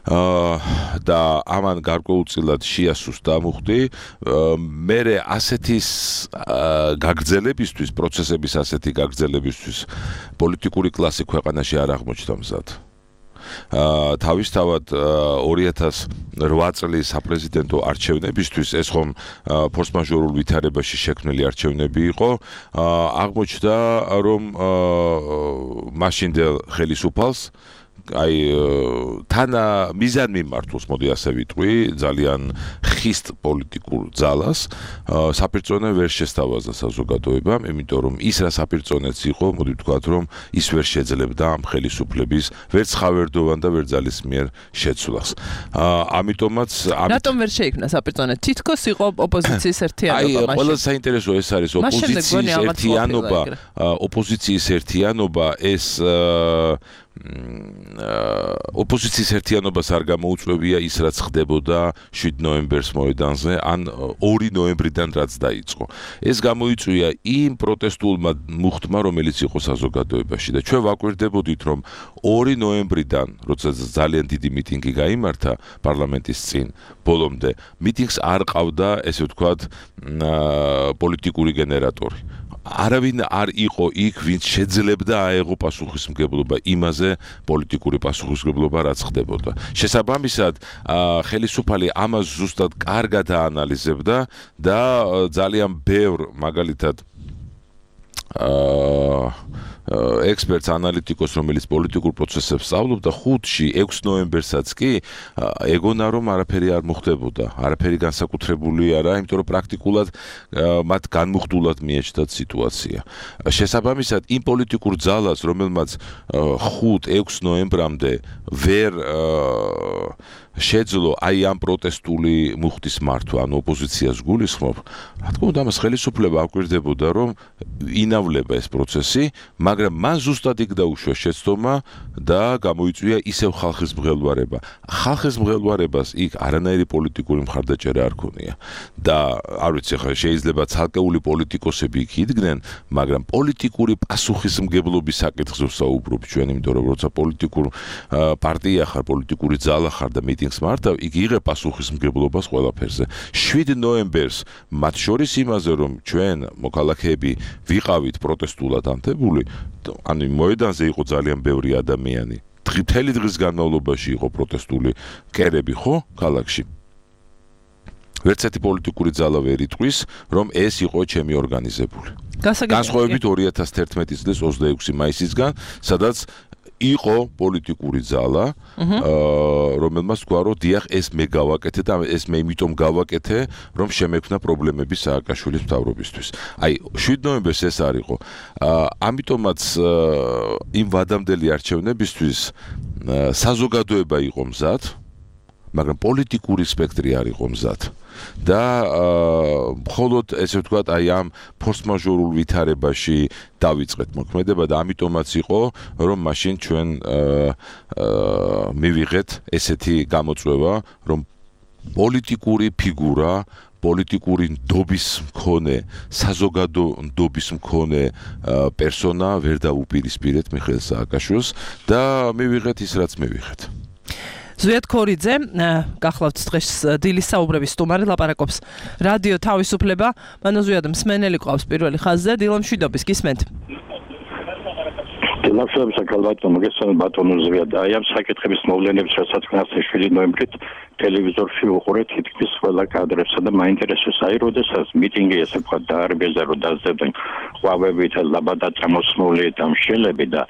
Speaker 16: და ამან გარკვეულწილად შეასუსტა დამუხდი მე ასეთის გაგრძელებისთვის პროცესების ასეთი გაგრძელებისთვის პოლიტიკური კლასი ქვეყანაში არ აღმოჩნდა მზად. თავისთავად 2008 წლის საპრეზიდენტო არჩევნებისთვის ეს ხომ ფორსმაჟორულ ვითარებაში შექმნილი არჩევნები იყო, აღმოჩნდა რომ მაშინდელ ხელისუფალს აი თან მიზან მიმართულს მოდი ასე ვიტყვი ძალიან ხისტ პოლიტიკურ ძალას საპირწონე ვერ შესთავაზა საზოგადოებამ, იმიტომ რომ ის რა საპირწონეც იყო, მოდი ვთქვათ რომ ის ვერ შეძლებდა ამ ხელისუფლების ვერც ხავერდოვან და ვერ ძალისმიერ შეცვლას. ამიტომაც
Speaker 2: რატომ ვერ შეიქმნა საპირწონე? თითქოს იყო ოპოზიციის ერთიანობა
Speaker 16: მაშინ. ყველა საინტერესო ეს არის ოპოზიციის ერთიანობა ეს ოპოზიციის ერთიანობას არ გამოუწვევია ის რაც ხდებოდა 7 ნოემბერს მოედანზე ან 2 ნოემბრიდან რაც დაიწყო. ეს გამოიწვია იმ პროტესტულმა მუხტმა, რომელიც იყო საზოგადოებაში და ჩვენ ვაკვირდებოდით რომ 2 ნოემბრიდან, როცა ძალიან დიდი მიტინგი გაიმართა პარლამენტის წინ, ბოლომდე მიტინგს არ ყავდა, ესე ვთქვათ, პოლიტიკური გენერატორი. არავინ არ იყო იქ, ვინც შეძლებდა აეღო პასუხისმგებლობა იმაზე პოლიტიკური პასუხისმგებლობა რაც ხდებოდა. შესაბამისად, ხელისუფალი ამას ზუსტად კარგად აანალიზებდა და ძალიან ბევრ მაგალითად ექსპერტს ანალიტიკოს რომელიც პოლიტიკურ პროცესებს სწავლობდა 5-ში 6 ნოემბერსაც კი ეგონა რომ არაფერი არ მოხდებოდა, არაფერი განსაკუთრებული არა, იმიტომ რომ პრაქტიკულად მათ განმუხტულად მიეჭდათ სიტუაცია. შესაბამისად, იმ პოლიტიკურ ძალას, რომელმაც 5-6 ნოემბრამდე ვერ შეძლო აი ამ პროტესტული მუხტის მართვა, ანუ ოპოზიციას გულისხმობ, რა თქმა უნდა, მას ხელისუფლება აკვირდებოდა, რომ ინავლება ეს პროცესი, მაგრამ მან ზუსტად იქ დაუშვა შეცდომა და გამოიწვია ისევ ხალხის მღელვარება. ხალხის მღელვარებას იქ არანაირი პოლიტიკური მხარდაჭერა არ ქონია და არ ვიცი, ხა შეიძლება ცალკეული პოლიტიკოსები იქ იდგნენ, მაგრამ პოლიტიკური პასუხისმგებლობის საკითხზე ვსაუბრობ ჩვენ, იმიტომ რომ როცა პოლიტიკურ პარტია ხარ, პოლიტიკური ძალა ხარ და მიტინგს მართავ, იქ იღებ პასუხისმგებლობას ყველაფერზე. 7 ნოემბერს მათ შორის იმაზე, რომ ჩვენ მოქალაქეები ვიყავით პროტესტულად ანთებული, ანუ მოედანზე იყო ძალიან ბევრი ადამიანი. მთელი დღის განმავლობაში იყო პროტესტული კერები, ხო, ქალაქში. ვერც ერთი პოლიტიკური ძალა ვერ იტყვის, რომ ეს იყო ჩემი ორგანიზებული. განსხვავებით 2011 წლის 26 მაისისგან, სადაც იყო პოლიტიკური ძალა, რომელმაც თქვა, რომ დიახ, ეს მე გავაკეთე და ეს მე იმიტომ გავაკეთე, რომ შემექმნა პრობლემები სააკაშვილის მთავრობისთვის. აი, 7 ნოემბერს ეს არ იყო. ამიტომაც იმ ვადამდელი არჩევნებისთვის საზოგადოება იყო მზად, მაგრამ პოლიტიკური სპექტრი არ იყო მზად. და მხოლოდ ესე ვთქვათ, აი ამ ფორს-მაჟორულ ვითარებაში დავიწყეთ მოქმედება და ამიტომაც იყო, რომ მაშინ ჩვენ მივიღეთ ესეთი გამოწვევა, რომ პოლიტიკური ფიგურა, პოლიტიკური ნდობის მქონე, საზოგადო ნდობის მქონე პერსონა ვერ დაუპირისპირეთ მიხეილ სააკაშვილს და მივიღეთ ის, რაც მივიღეთ.
Speaker 2: ზვიად ქორიძე, გახლავთ დღეს დილის საუბრების სტუმარი, ლაპარაკობს რადიო თავისუფლება. მანო ზვიად მსმენელი ყავს პირველი ხაზზე, დილა მშვიდობის, გისმენთ.
Speaker 17: დილამშვიდობის საკალბატონო, მოგესალმებით ბატონო ზვიად. აი ამ საკითხების მოვლენების რასაც გასცეს 7 ნოემბრით ტელევიზორში ვუყურეთ თითქმის ყველა კადრებსა და მაინტერესებს აი როდესაც მიტინგი ესე ვთქვათ დაარბიეს და რომ დაძებდნენ ყვავებით ლაბადა წამოსმული და მშელები და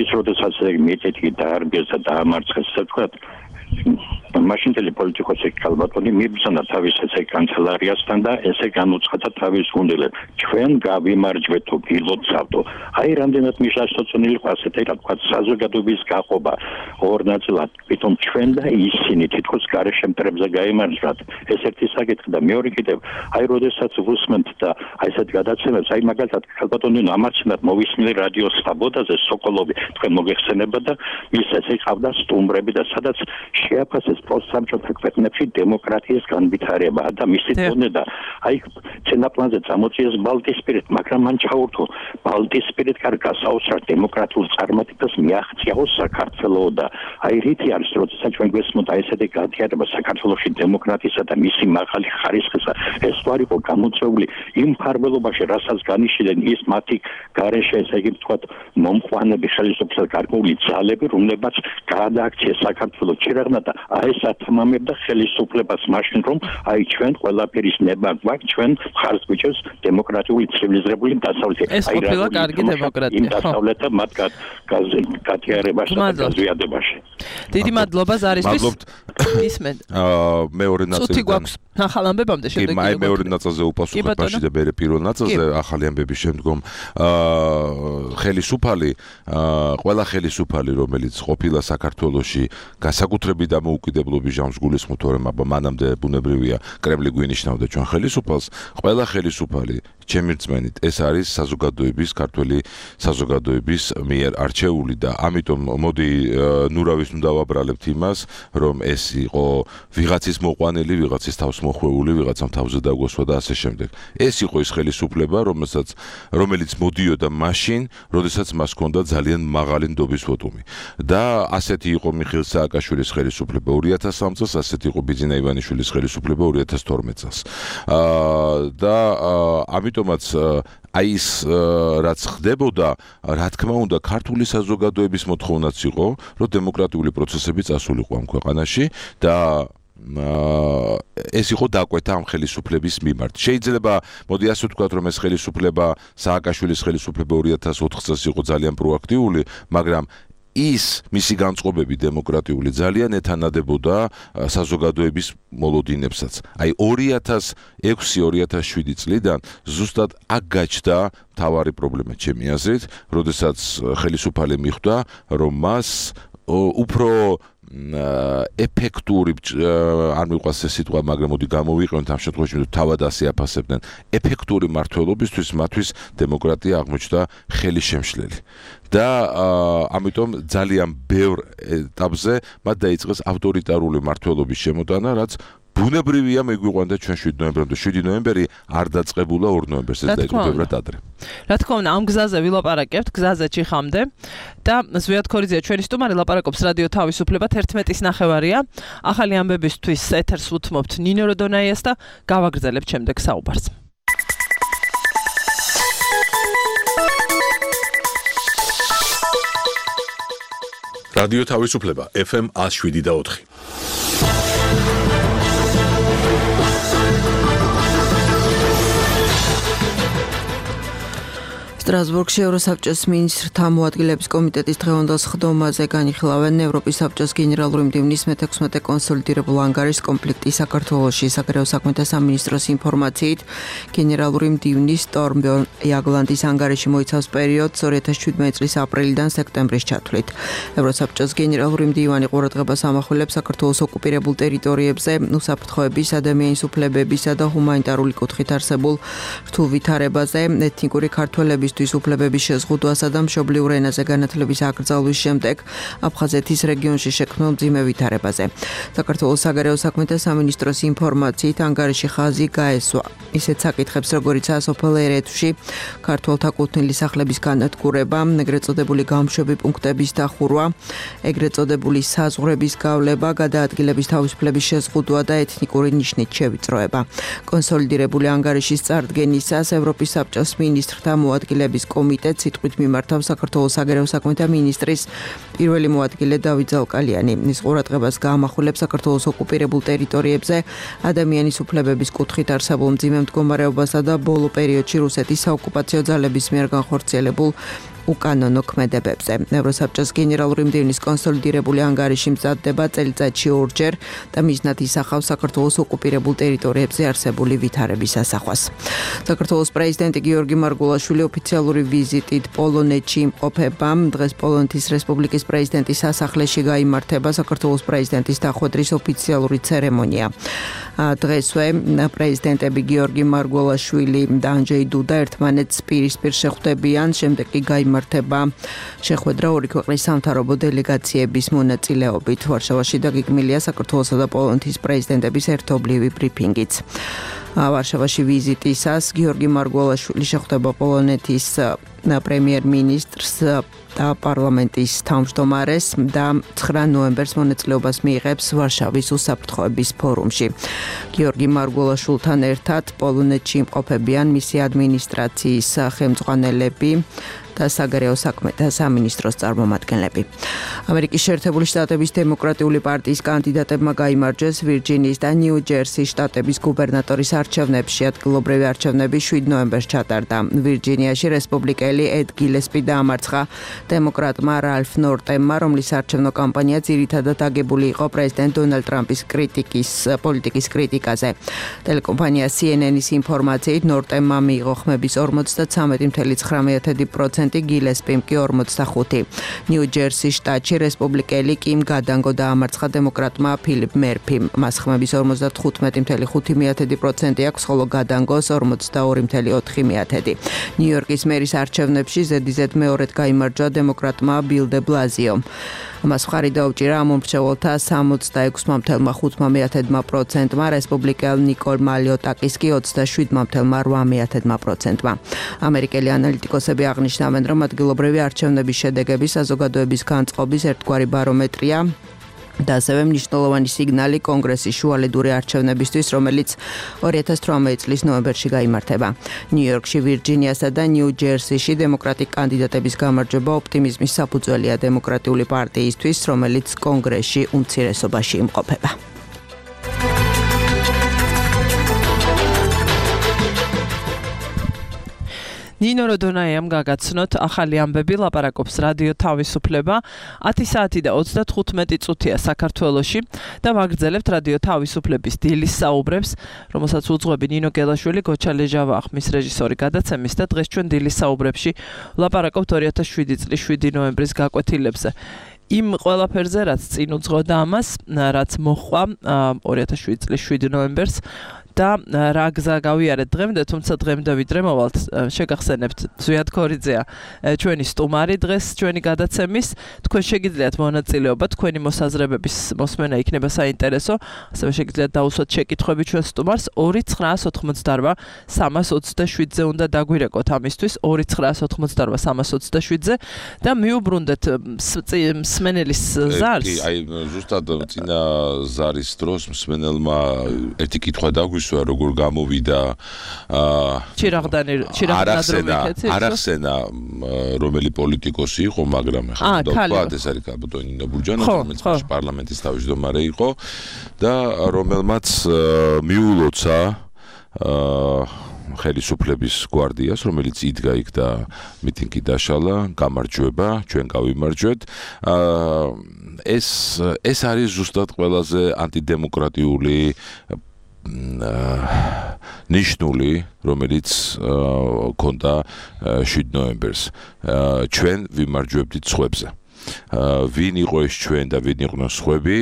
Speaker 17: ის როდესაც მიტინგი დაარბიეს და დაამარცხეს ესე ვთქვათ მაშინდელი პოლიტიკოსი კალბატონი მიბრძანა თავის ესე კანცელარიასთან და ესე განუცხადა თავის გუნდელებს ჩვენ გავიმარჯვეთ თუ გილოცავდო აი რამდენად მიშაშტოცონილი ყასეთი რა თქვა საზოგადოების გაყობა ორ ნაწილად თვითონ ჩვენ და ისინი თითქოს გარეშე მტრებზე გაიმარჯვათ ეს ერთი საკითხი და მეორე კიდევ აი როდესაც ვუსმენთ და აი ესეთ გადაცემებს აი მაგალითად კალბატონი ამარჩნდათ მოვისმენთ რადიო სვაბოდაზე სოკოლოვი თქვენ მოგეხსენება და მის ესე ყავდა სტუმრები და სადაც შეაფასეს პოსტსამჭოთა ქვეყნებში დემოკრატიის განვითარება და მისი დონე და აი ცენაპლანზე წამოწიეს ბალტიისპირეთ, მაგრამ მან ჩაურთო ბალტიისპირეთ კარგა საოცრად დემოკრატიულ წარმატებას მიაღწიაო საქართველოს და აი რითი არის როდესაც ჩვენ გვესმოდა ესეთი განვითარება საქართველოში დემოკრატიისა და მისი მაღალი ხარისხისა ეს ვარ იყო გამოწვეული იმ ფარველობაში რასაც განიშნდნენ ის მათი გარეშე ესე იგი ვთქვათ მომყვანები ხელისუფლების გარკვეული ძალები რომლებაც გაადაქციეს საქართველოს ჩირაღნა და აი სათმამებდა ხელისუფლებას მაშინ რომ აი ჩვენ ყველაფერის ნება გვაქვს ჩვენ ხარს გვიჭერს დემოკრატიული ცივილიზებული დასავლეთი
Speaker 2: აი რა კარგი დემოკრატია
Speaker 17: ხო დასავლეთ მათ გათიარებაში და გაზვიადებაში
Speaker 2: დიდი მადლობა ზარისთვის ისმენ
Speaker 16: მეორე ნაწილი
Speaker 2: ცუდი გვაქვს ახალ ამბებამდე შემდეგ
Speaker 16: კი მეორე ნაწილზე უპასუხებ მაშინ და მე პირველ ნაწილზე ახალი ამბების შემდგომ ხელისუფალი ყველა ხელისუფალი რომელიც ყოფილა საქართველოში განსაკუთრებით დამოუკიდებლობის ჟამს გულისხმობ თორემ აბა მანამდე ბუნებრივია კრემლი გვინიშნავდა ჩვენ ხელისუფალს ყველა ხელისუფალი ჩემი რწმენით ეს არის საზოგადოების ქართველი საზოგადოების მიერ არჩეული და ამიტომ მოდი ნურავის უნდა დავაბრალებთ იმას რომ ეს იყო ვიღაცის მოყვანილი ვიღაცის თავს მოხვეული ვიღაცამ თავზე დაგვესვა და ასე შემდეგ ეს იყო ის ხელისუფლება რომელიც მოდიოდა მაშინ როდესაც მას ჰქონდა ძალიან მაღალი ნდობის ვოტუმი და ასეთი იყო მიხეილ სააკაშვილის ხელისუფლება 2003 წელს ასეთი იყო ბიძინა ივანიშვილის ხელისუფლება 2012 წელს და ამიტომაც აი ის რაც ხდებოდა რა თქმა უნდა ქართული საზოგადოების მოთხოვნაც იყო რომ დემოკრატიული პროცესები წასულიყო ამ ქვეყანაში და ეს იყო დაკვეთა ამ ხელისუფლების მიმართ. შეიძლება მოდი ასე ვთქვათ რომ ეს ხელისუფლება სააკაშვილის ხელისუფლება 2004 წელს იყო ძალიან პროაქტიული, მაგრამ ის მისი განწყობები დემოკრატიული ძალიან ეთანადებოდა საზოგადოების მოლოდინებსაც. აი 2006-2007 წლიდან ზუსტად აქ გაჩნდა მთავარი პრობლემა ჩემი აზრით, როდესაც ხელისუფალი მიხვდა, რომ მას უფრო ეფექტური არ მიყვარს ეს სიტყვა, მაგრამ მოდი გამოვიყენოთ ამ შემთხვევაში, რომ თავად ასე აფასებდნენ. ეფექტური მმართველობისთვის მათთვის დემოკრატია აღმოჩნდა ხელისშემშლელი. და ამიტომ ძალიან ბევრ ეტაპზე მათ დაიწყეს ავტორიტარული მმართველობის შემოტანა, რაც ბუნებრივია მეგვიყვანდა ჩვენ 7 ნოემბრამდე. 7 ნოემბერი არ დაწყებულა 2 ნოემბერს, ეს დაიწყო ბევრად ადრე.
Speaker 2: რა თქმა უნდა, ამ გზაზე ვილაპარაკებთ, გზაზე ჩიხამდე და ზვიად ქორიძეა ჩვენი სტუმარი, ლაპარაკობს რადიო თავისუფლება 11:09. ახალი ამბებისთვის ეთერს უთმობთ ნინო როდონაიას და გავაგრძელებთ შემდეგ საუბარს.
Speaker 1: რადიო თავისუფლება FM 107.4.
Speaker 18: სტრასბურგში ევროსაბჭოს მინისტრთა მოადგილეების კომიტეტის დღევანდელ სხდომაზე განიხილავენ ევროპის საბჭოს გენერალური მდივნის მე-16 კონსოლიდირებულ ანგარიშს კონფლიქტის საქართველოში. საგარეო საქმეთა სამინისტროს ინფორმაციით, გენერალური მდივნის სტორმბერნ იაგლანდის ანგარიში მოიცავს პერიოდს 2017 წლის აპრილიდან სექტემბრის ჩათვლით. ევროსაბჭოს გენერალური მდივანი ყურადღებას ამახვილებს საქართველოს ოკუპირებულ ტერიტორიებზე უსაფრთხოების, ადამიანის უფლებებისა და ჰუმანიტარული კუთხით არსებულ რთულ ვითარებაზე, ეთნიკური ქართველების უფლებების შეზღუდვასა და მშობლიურ ენაზე განათლების აკრძალვის შემდეგ აფხაზეთის რეგიონში შექმნილ მძიმე ვითარებაზე. საქართველოს საგარეო საქმეთა სამინისტროს ინფორმაციით, ანგარიში ხაზი გაესვა ისეთ საკითხებს, როგორიცაა სოფელ ერეთში ქართველთა კუთვნილი სახლების განადგურება, ეგრეთ წოდებული გამშვები პუნქტების დახურვა, ეგრეთ წოდებული საზღვრების გავლება, გადაადგილების თავისუფლების შეზღუდვა და ეთნიკური ნიშნით შევიწროება. კონსოლიდირებული ანგარიშის წარდგენისას ევროპის საბჭოს მინისტრთა მოადგილეების კომიტეტს სიტყვით მიმართავს საქართველოს საგარეო საქმეთა მინისტრის პირველი მოადგილე დავით ზალკალიანი. ის ყურადღებას გაამახვილებს საქართველოს ოკუპირებულ ტერიტორიებზე ადამიანის უფლებების კუთხით არსებულ მძიმე მდგომარეობასა და ბოლო პერიოდში რუსეთის საოკუპაციო ძალების მიერ განხორციელებულ უკანონო ქმედებებზე. ევროსაბჭოს გენერალური მდივნის კონსოლიდირებული ანგარიში მზადდება წელიწადში 2 ჯერ და მიზნად ისახავს საქართველოს ოკუპირებულ ტერიტორიებზე არსებული ვითარების ასახვას. საქართველოს პრეზიდენტი გიორგი მარგულაშვილი ოფიციალური ვიზიტით პოლონეთში იმყოფება. დღეს პოლონეთის რესპუბლიკის პრეზიდენტის სასახლეში გაიმართება საქართველოს პრეზიდენტის დახვედრის ოფიციალური ცერემონია. დღესვე პრეზიდენტები გიორგი მარგულაშვილი და ანჯეი დუდა ერთმანეთს პირისპირ შეხვდებიან, შემდეგ კი გაიმართება შეხვედრა ორი ქვეყნის სამთავრობო დელეგაციების მონაწილეობით. ვარშავაში დაგეგმილია საქართველოსა და პოლონეთის პრეზიდენტების ერთობლივი ბრიფინგიც. ვარშავაში ვიზიტისას გიორგი მარგულაშვილი შეხვდება პოლონეთის პრემიერ-მინისტრს და პარლამენტის თავმჯდომარეს და 9 ნოემბერს მონაწილეობას მიიღებს ვარშავის უსაფრთხოების ფორუმში. გიორგი მარგულაშვილთან ერთად პოლონეთში იმყოფებიან მისი ადმინისტრაციის ხელმძღვანელები და საგარეო საქმეთა სამინისტროს წარმომადგენლები. ამერიკის შეერთებული შტატების დემოკრატიული პარტიის კანდიდატებმა გაიმარჯვეს ვირჯინიის და ნიუ-ჯერსის შტატების გუბერნატორის არჩევნებში. ადგილობრივი არჩევნები 7 ნოემბერს ჩატარდა. ვირჯინიაში რესპუბლიკელი ედ გილესპი დაამარცხა დემოკრატმა რალფ ნორტემმა, რომლის არჩევნო კამპანია ძირითადად აგებული იყო პრეზიდენტ დონალდ ტრამპის პოლიტიკის კრიტიკაზე. ტელეკომპანია CNN-ის ინფორმაციით ნორტემმა მიიღო ხმების 53.9%, გილესპიმ კი 45. ნიუ-ჯერსის შტატში რესპუბლიკელი კიმ გადანგო დაამარცხა დემოკრატმა ფილიპ მერფიმ. მას ხმების 55.5% აქვს, ხოლო გადანგოს 42.4%. ნიუ-იორკის მერის არჩევნებში ზედიზედ მეორედ გაიმარჯვა დემოკრატმა ბილ დე ბლაზიომ. მას მხარი დაუჭირა ამომრჩეველთა 66.5%-მა, რესპუბლიკელ ნიკოლ მალიოტაკის კი 27.8%-მა. ამერიკელი ანალიტიკოსები აღნიშნავენ, რომ ადგილობრივი არჩევნების შედეგები საზოგადოების განწყობის ერთგვარი ბარომეტრია და ასევე მნიშვნელოვანი სიგნალი კონგრესის შუალედური არჩევნებისთვის, რომელიც 2018 წლის ნოემბერში გაიმართება. ნიუ-იორკში, ვირჯინიასა და ნიუ-ჯერსიში დემოკრატიკ კანდიდატების გამარჯვება ოპტიმიზმის საფუძველია დემოკრატიული პარტიისთვის, რომელიც კონგრესში უმცირესობაში იმყოფება.
Speaker 2: ნინო როდონაიამ გაგაცნოთ ახალი ამბები, ლაპარაკობს რადიო თავისუფლება. 10 საათი და 35 წუთია საქართველოში და ვაგრძელებთ რადიო თავისუფლების დილის საუბრებს, რომელსაც უძღვები ნინო გელაშვილი, გოჩა ლეჟავა ახმის რეჟისორი გადაცემის და დღეს ჩვენ დილის საუბრებში ლაპარაკობთ 2007 წლის 7 ნოემბრის გაკვეთილებზე. იმ ყველაფერზე რაც წინ უძღოდა ამას, რაც მოხდა 2007 წლის 7 ნოემბერს და რა გზა გავიარეთ დღემდე, თუმცა დღემდე ვიდრე მოვალთ, შეგახსენებთ ზვიად ქორიძეა ჩვენი სტუმარი დღეს ჩვენი გადაცემის, თქვენ შეგიძლიათ მონაწილეობა, თქვენი მოსაზრებების მოსმენა იქნება საინტერესო, ასევე შეგიძლიათ დაუსვათ შეკითხვები ჩვენ სტუმარს 2988 327-ზე უნდა დაგვირეკოთ ამისთვის 2988 327-ზე და მიუბრუნდეთ მსმენელის ზარს.
Speaker 16: აი ზუსტად წინა ზარის დროს მსმენელმა ერთი კითხვა დაგვისვა როგორ გამოვიდა არახსენა რომელი პოლიტიკოსი იყო, მაგრამ ახლა თქვა ეს არის კაბოტონი ნინო ბურჯანა, რომელიც პარლამენტის თავმჯდომარე იყო და რომელმაც მიულოცა ხელისუფლების გვარდიას, რომელიც იდგა იქ და მიტინგი დაშალა, გამარჯვება, ჩვენ გავიმარჯვეთ. ეს არის ზუსტად ყველაზე ანტიდემოკრატიული ნიშნული, რომელიც ქონდა 7 ნოემბერს. ჩვენ ვიმარჯვებდით სხვებზე. ვინ იყო ეს ჩვენ და ვინ იყვნენ სხვები,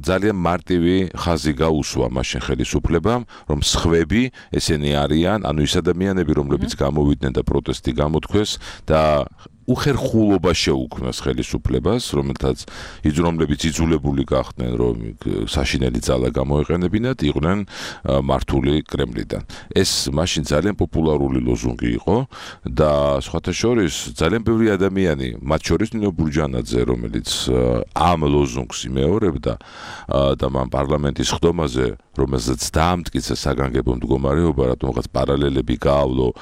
Speaker 16: ძალიან მარტივი ხაზი გაუსვა მაშინ ხელისუფლებამ, რომ სხვები ესენი არიან, ანუ ის ადამიანები, რომლებიც გამოვიდნენ და პროტესტი გამოთქვეს და უხერხულობა შეუქმნას ხელისუფლებას, რომლებიც იძულებული გახდნენ, რომ საშინელი ძალა გამოეყენებინათ, იყვნენ მართული კრემლიდან. ეს მაშინ ძალიან პოპულარული ლოზუნგი იყო და სხვათა შორის ძალიან ბევრი ადამიანი, მათ შორის ნინო ბურჯანაძე, რომელიც ამ ლოზუნგს იმეორებდა და მან პარლამენტის ხდომაზე, რომელზეც დაამტკიცა საგანგებო მდგომარეობა, რატომღაც პარალელები გაავლო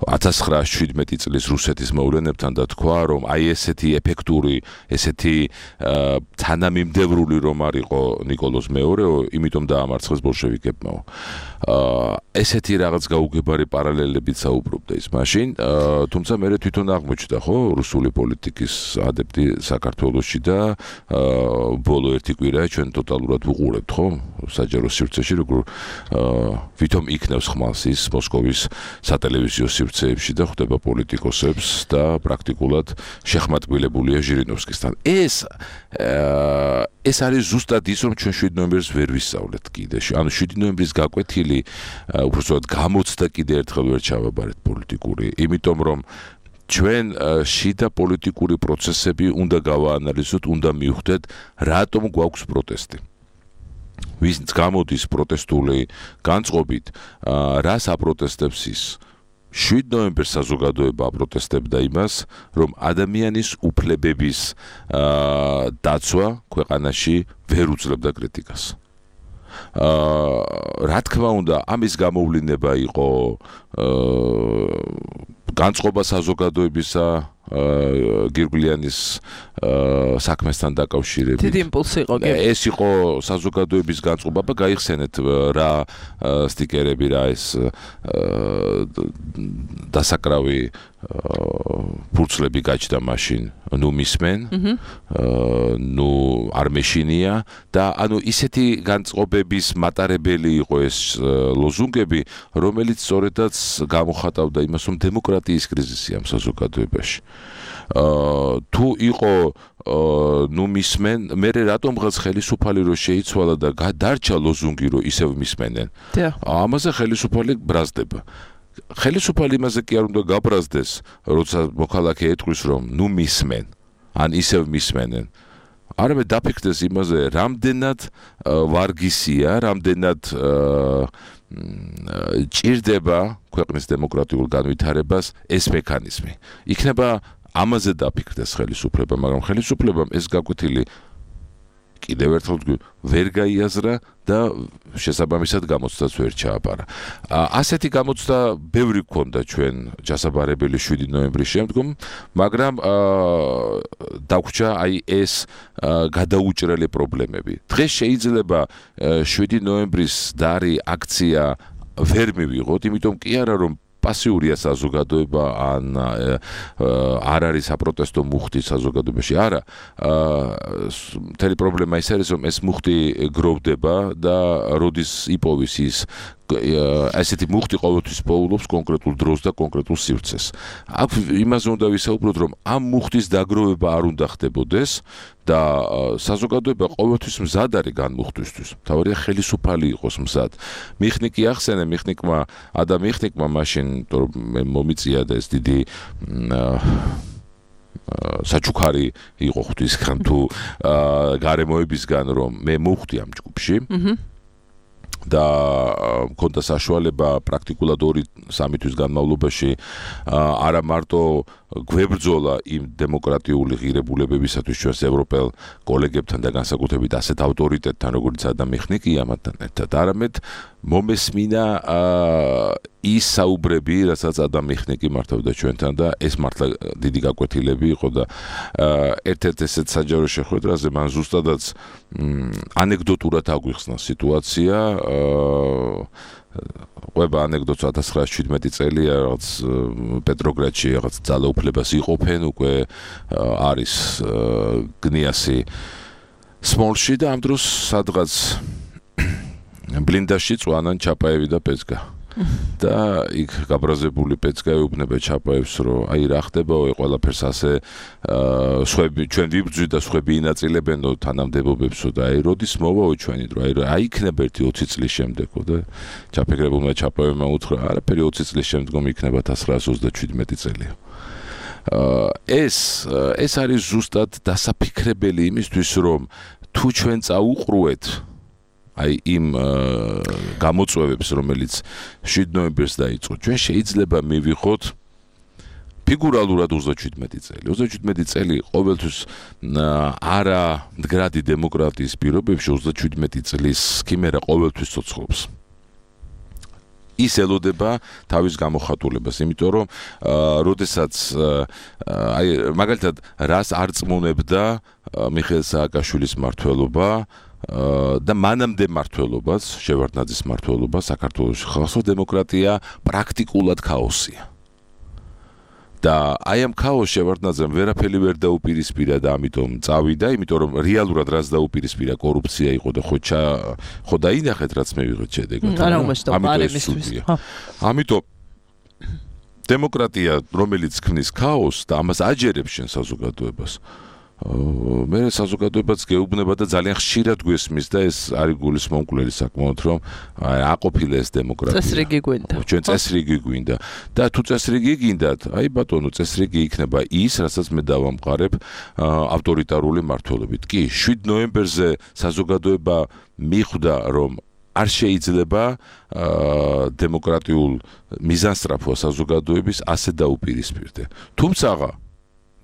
Speaker 16: 1917 წლის რუსეთის მოვლენებთან და თქვა, რომ აი ესეთი ეფექტური, ესეთი თანამიმდევრული რომ არ იყო ნიკოლოზ მეორეო, იმიტომ დაამარცხეს ბოლშევიკებმა. ესეთი რაღაც გაუგებარი პარალელებიც საუბრობდა ის მაშინ, თუმცა მე თვითონ აღმოჩნდა, ხო, რუსული პოლიტიკის ადეპტი საქართველოში და ბოლო ერთი კვირა ჩვენ ტოტალურად ვუყურებთ, ხო, საჯარო სივრცეში, როგორ ვითომ იქნევს ხმალს ის მოსკოვის სატელევიზიო სივრცეებში და ხვდება პოლიტიკოსებს და პრაქტიკულად შეხმატკბილებულია ჟირინოვსკისთან. ეს არის ზუსტად ის, რომ ჩვენ 7 ნოემბერს ვერ ვისწავლეთ კიდე. ანუ 7 ნოემბრის გაკვეთილი უბრალოდ გამოცდა კიდე ერთხელ ვერ ჩავაბარეთ პოლიტიკური, იმიტომ რომ ჩვენ შიდა პოლიტიკური პროცესები უნდა გავაანალიზოთ, უნდა მივხვდეთ, რატომ გვაქვს პროტესტი. ვინც გამოდის პროტესტული განწყობით, რას აპროტესტებს ის? 7 ნოემბერს საზოგადოება აპროტესტებდა იმას, რომ ადამიანის უფლებების დაცვა ქვეყანაში ვერ უძლებდა კრიტიკას. რა თქმა უნდა, ამის გამოვლენა იყო განწყობა საზოგადოებისა გირგვლიანის საქმესთან დაკავშირებით.
Speaker 2: დიდი იმპულსი იყო.
Speaker 16: ეს იყო საზოგადოების განწყობა, გაიხსენეთ რა სტიკერები, რა ეს დასაკრავი ფურცლები გაჩნდა მაშინ, ნუ მისმენ, ნუ არ მეშინია და ანუ ისეთი განწყობების მატარებელი იყო ეს ლოზუნგები, რომელიც სწორედაც გამოხატავდა იმას, რომ დემოკრატიის კრიზისია ამ საზოგადოებაში. თუ იყო ნუ მისმენ, მე რატომღაც ხელისუფალი რო შეიცვალა და დარჩა ლოზუნგი რო ისევ მისმენენ. ამაზე ხელისუფალი ბრაზდება. ხელისუფალი იმაზე კი არ უნდა გაბრაზდეს, როცა მოქალაქე ეტყვის, რომ ნუ მისმენ, ან ისევ მისმენენ. არამედ დაფიქრდეს იმაზე, რამდენად ვარგისია, რამდენად ჭირდება ქვეყნის დემოკრატიულ განვითარებას ეს მექანიზმი. იქნება ამაზე დაფიქრდეს ხელისუფლება, მაგრამ ხელისუფლებამ ეს გაკვეთილი კიდევ ერთხელ ვერ გაიაზრა და შესაბამისად გამოცდას ვერ ჩააბარა. ასეთი გამოცდა ბევრი გქონდა ჩვენ ჩასაბარებელი 7 ნოემბრის შემდგომ, მაგრამ დაგვრჩა აი ეს გადაუჭრელი პრობლემები. დღეს შეიძლება 7 ნოემბრის დარი აქცია ვერ მივიღოთ, იმიტომ კი არა რომ პასიურია საზოგადოება ან არ არის საპროტესტო მუხტი საზოგადოებაში, არა. მთელი პრობლემა ის არის, რომ ეს მუხტი გროვდება და როდის იპოვის ის ასეთი მუხტი ყოველთვის პოულობს კონკრეტულ დროს და კონკრეტულ სივრცეს. აქ იმაზე უნდა ვისაუბროთ, რომ ამ მუხტის დაგროვება არ უნდა ხდებოდეს და საზოგადოება ყოველთვის მზად არის განმუხტვისთვის. თავარია ხელისუფალი იყოს მზად. მიხნიკი ახსენე, მიხნიკმა მაშინ მომიწია და ეს დიდი საჩუქარი იყო ღვთისგან თუ გარემოებისგან, რომ მე მოვხვდი ამ ჯგუფში. და მქონდა საშუალება პრაქტიკულად 2-3 თვის განმავლობაში არა მარტო გვებრძოლა იმ დემოკრატიული ღირებულებებისათვის ჩვენს ევროპელ კოლეგებთან და განსაკუთრებით ასეთ ავტორიტეტთან როგორც ადამი ხნიკია მათთან ერთად, არამედ მომესმინა ის საუბრები, რასაც ადამი ხნიკი მართავდა ჩვენთან და ეს მართლა დიდი გაკვეთილები იყო და ერთ-ერთ ესეთ საჯარო შეხვედრაზე მან ზუსტადაც ანეკდოტურად აგვიხსნა სიტუაცია ყვება ანეკდოტს 1917 წელია რაღაც პეტროგრადში რაღაც ძალაუფლებას იყოფენ უკვე არის გნიასი სმოლში და ამ დროს სადღაც ბლინდაში წვანან ჩაპაევი და პეცკა და იქ გაბრაზებული პეცკა ეუბნება ჩაპაევს რომ აი რა ხდებაო ყველაფერს ასე ჩვენ ვიბრძვით და სხვები ინაწილებენო თანამდებობებსო და აი როდის მოვაო ჩვენი დრო აი იქნება ერთი 20 წლის შემდეგო და ჩაფიქრებულმა ჩაპაევმა უთხრა არაფერი 20 წლის შემდგომ იქნება 1937 წელია ეს არის ზუსტად დასაფიქრებელი იმისთვის რომ თუ ჩვენ წაუყრუეთ აი იმ გამოწვევებს რომელიც 7 ნოემბერს დაიწყო ჩვენ შეიძლება მივიღოთ ფიგურალურად 37 წელი 37 წელი ყოველთვის არა მდგრადი დემოკრატიის პირობებში 37 წლის ქიმერა ყოველთვის ცოცხლობს ის ელოდება თავის გამოხატულებას, იმიტომ რომ როდესაც აი მაგალითად რას არ წმუნებდა მიხეილ სააკაშვილის მმართველობა და მანამდე მმართველობას, შევარდნაძის მმართველობა საქართველოს ხალხო დემოკრატია პრაქტიკულად ქაოსია. და აი ამ ქაოსს შევარდნაძემ ვერაფერი ვერ დაუპირისპირა და ამიტომ წავიდა, იმიტომ რომ რეალურად რაც დაუპირისპირა კორუფცია იყო და ხო დაინახეთ რაც მე ვიღეთ შედეგად. ამიტომ დემოკრატია რომელიც ქმნის ქაოსს და ამას აჯერებს შენ საზოგადოებას მე საზოგადოებაც გეუბნება და ძალიან ხშირად გვესმის და ეს არის გულისმომკვლელი საკმაოდ რომ აყოფილა ეს დემოკრატია.
Speaker 2: წესრიგი გვინდა.
Speaker 16: ჩვენ წესრიგი გვინდა და თუ წესრიგი გინდათ, აი ბატონო, წესრიგი იქნება ის, რასაც მე დავამყარებ ავტორიტარული მმართველობით. კი, 7 ნოემბერზე საზოგადოება მიხვდა რომ არ შეიძლება დემოკრატიულ მიზანსტრაფვა საზოგადოების ასე დაუპირისპირდე. თუმცა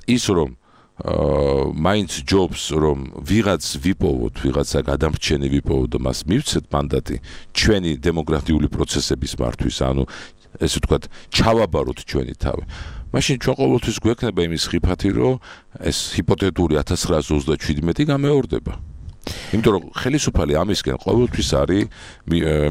Speaker 16: ის რომ მაინც ჯობს რომ ვიღაც ვიპოვოთ, ვიღაცა გადამრჩენი ვიპოვოთ და მას მივცეთ მანდატი ჩვენი დემოკრატიული პროცესების მართვის, ანუ ესე ვთქვათ, ჩავაბაროთ ჩვენი თავი. მაშინ ჩვენ ყოველთვის გვექნება იმის ხიფათი, რომ ეს ჰიპოთეტური 1937 გამეორდება. იმიტომ რომ ხელისუფალი ამისკენ ყოველთვის არის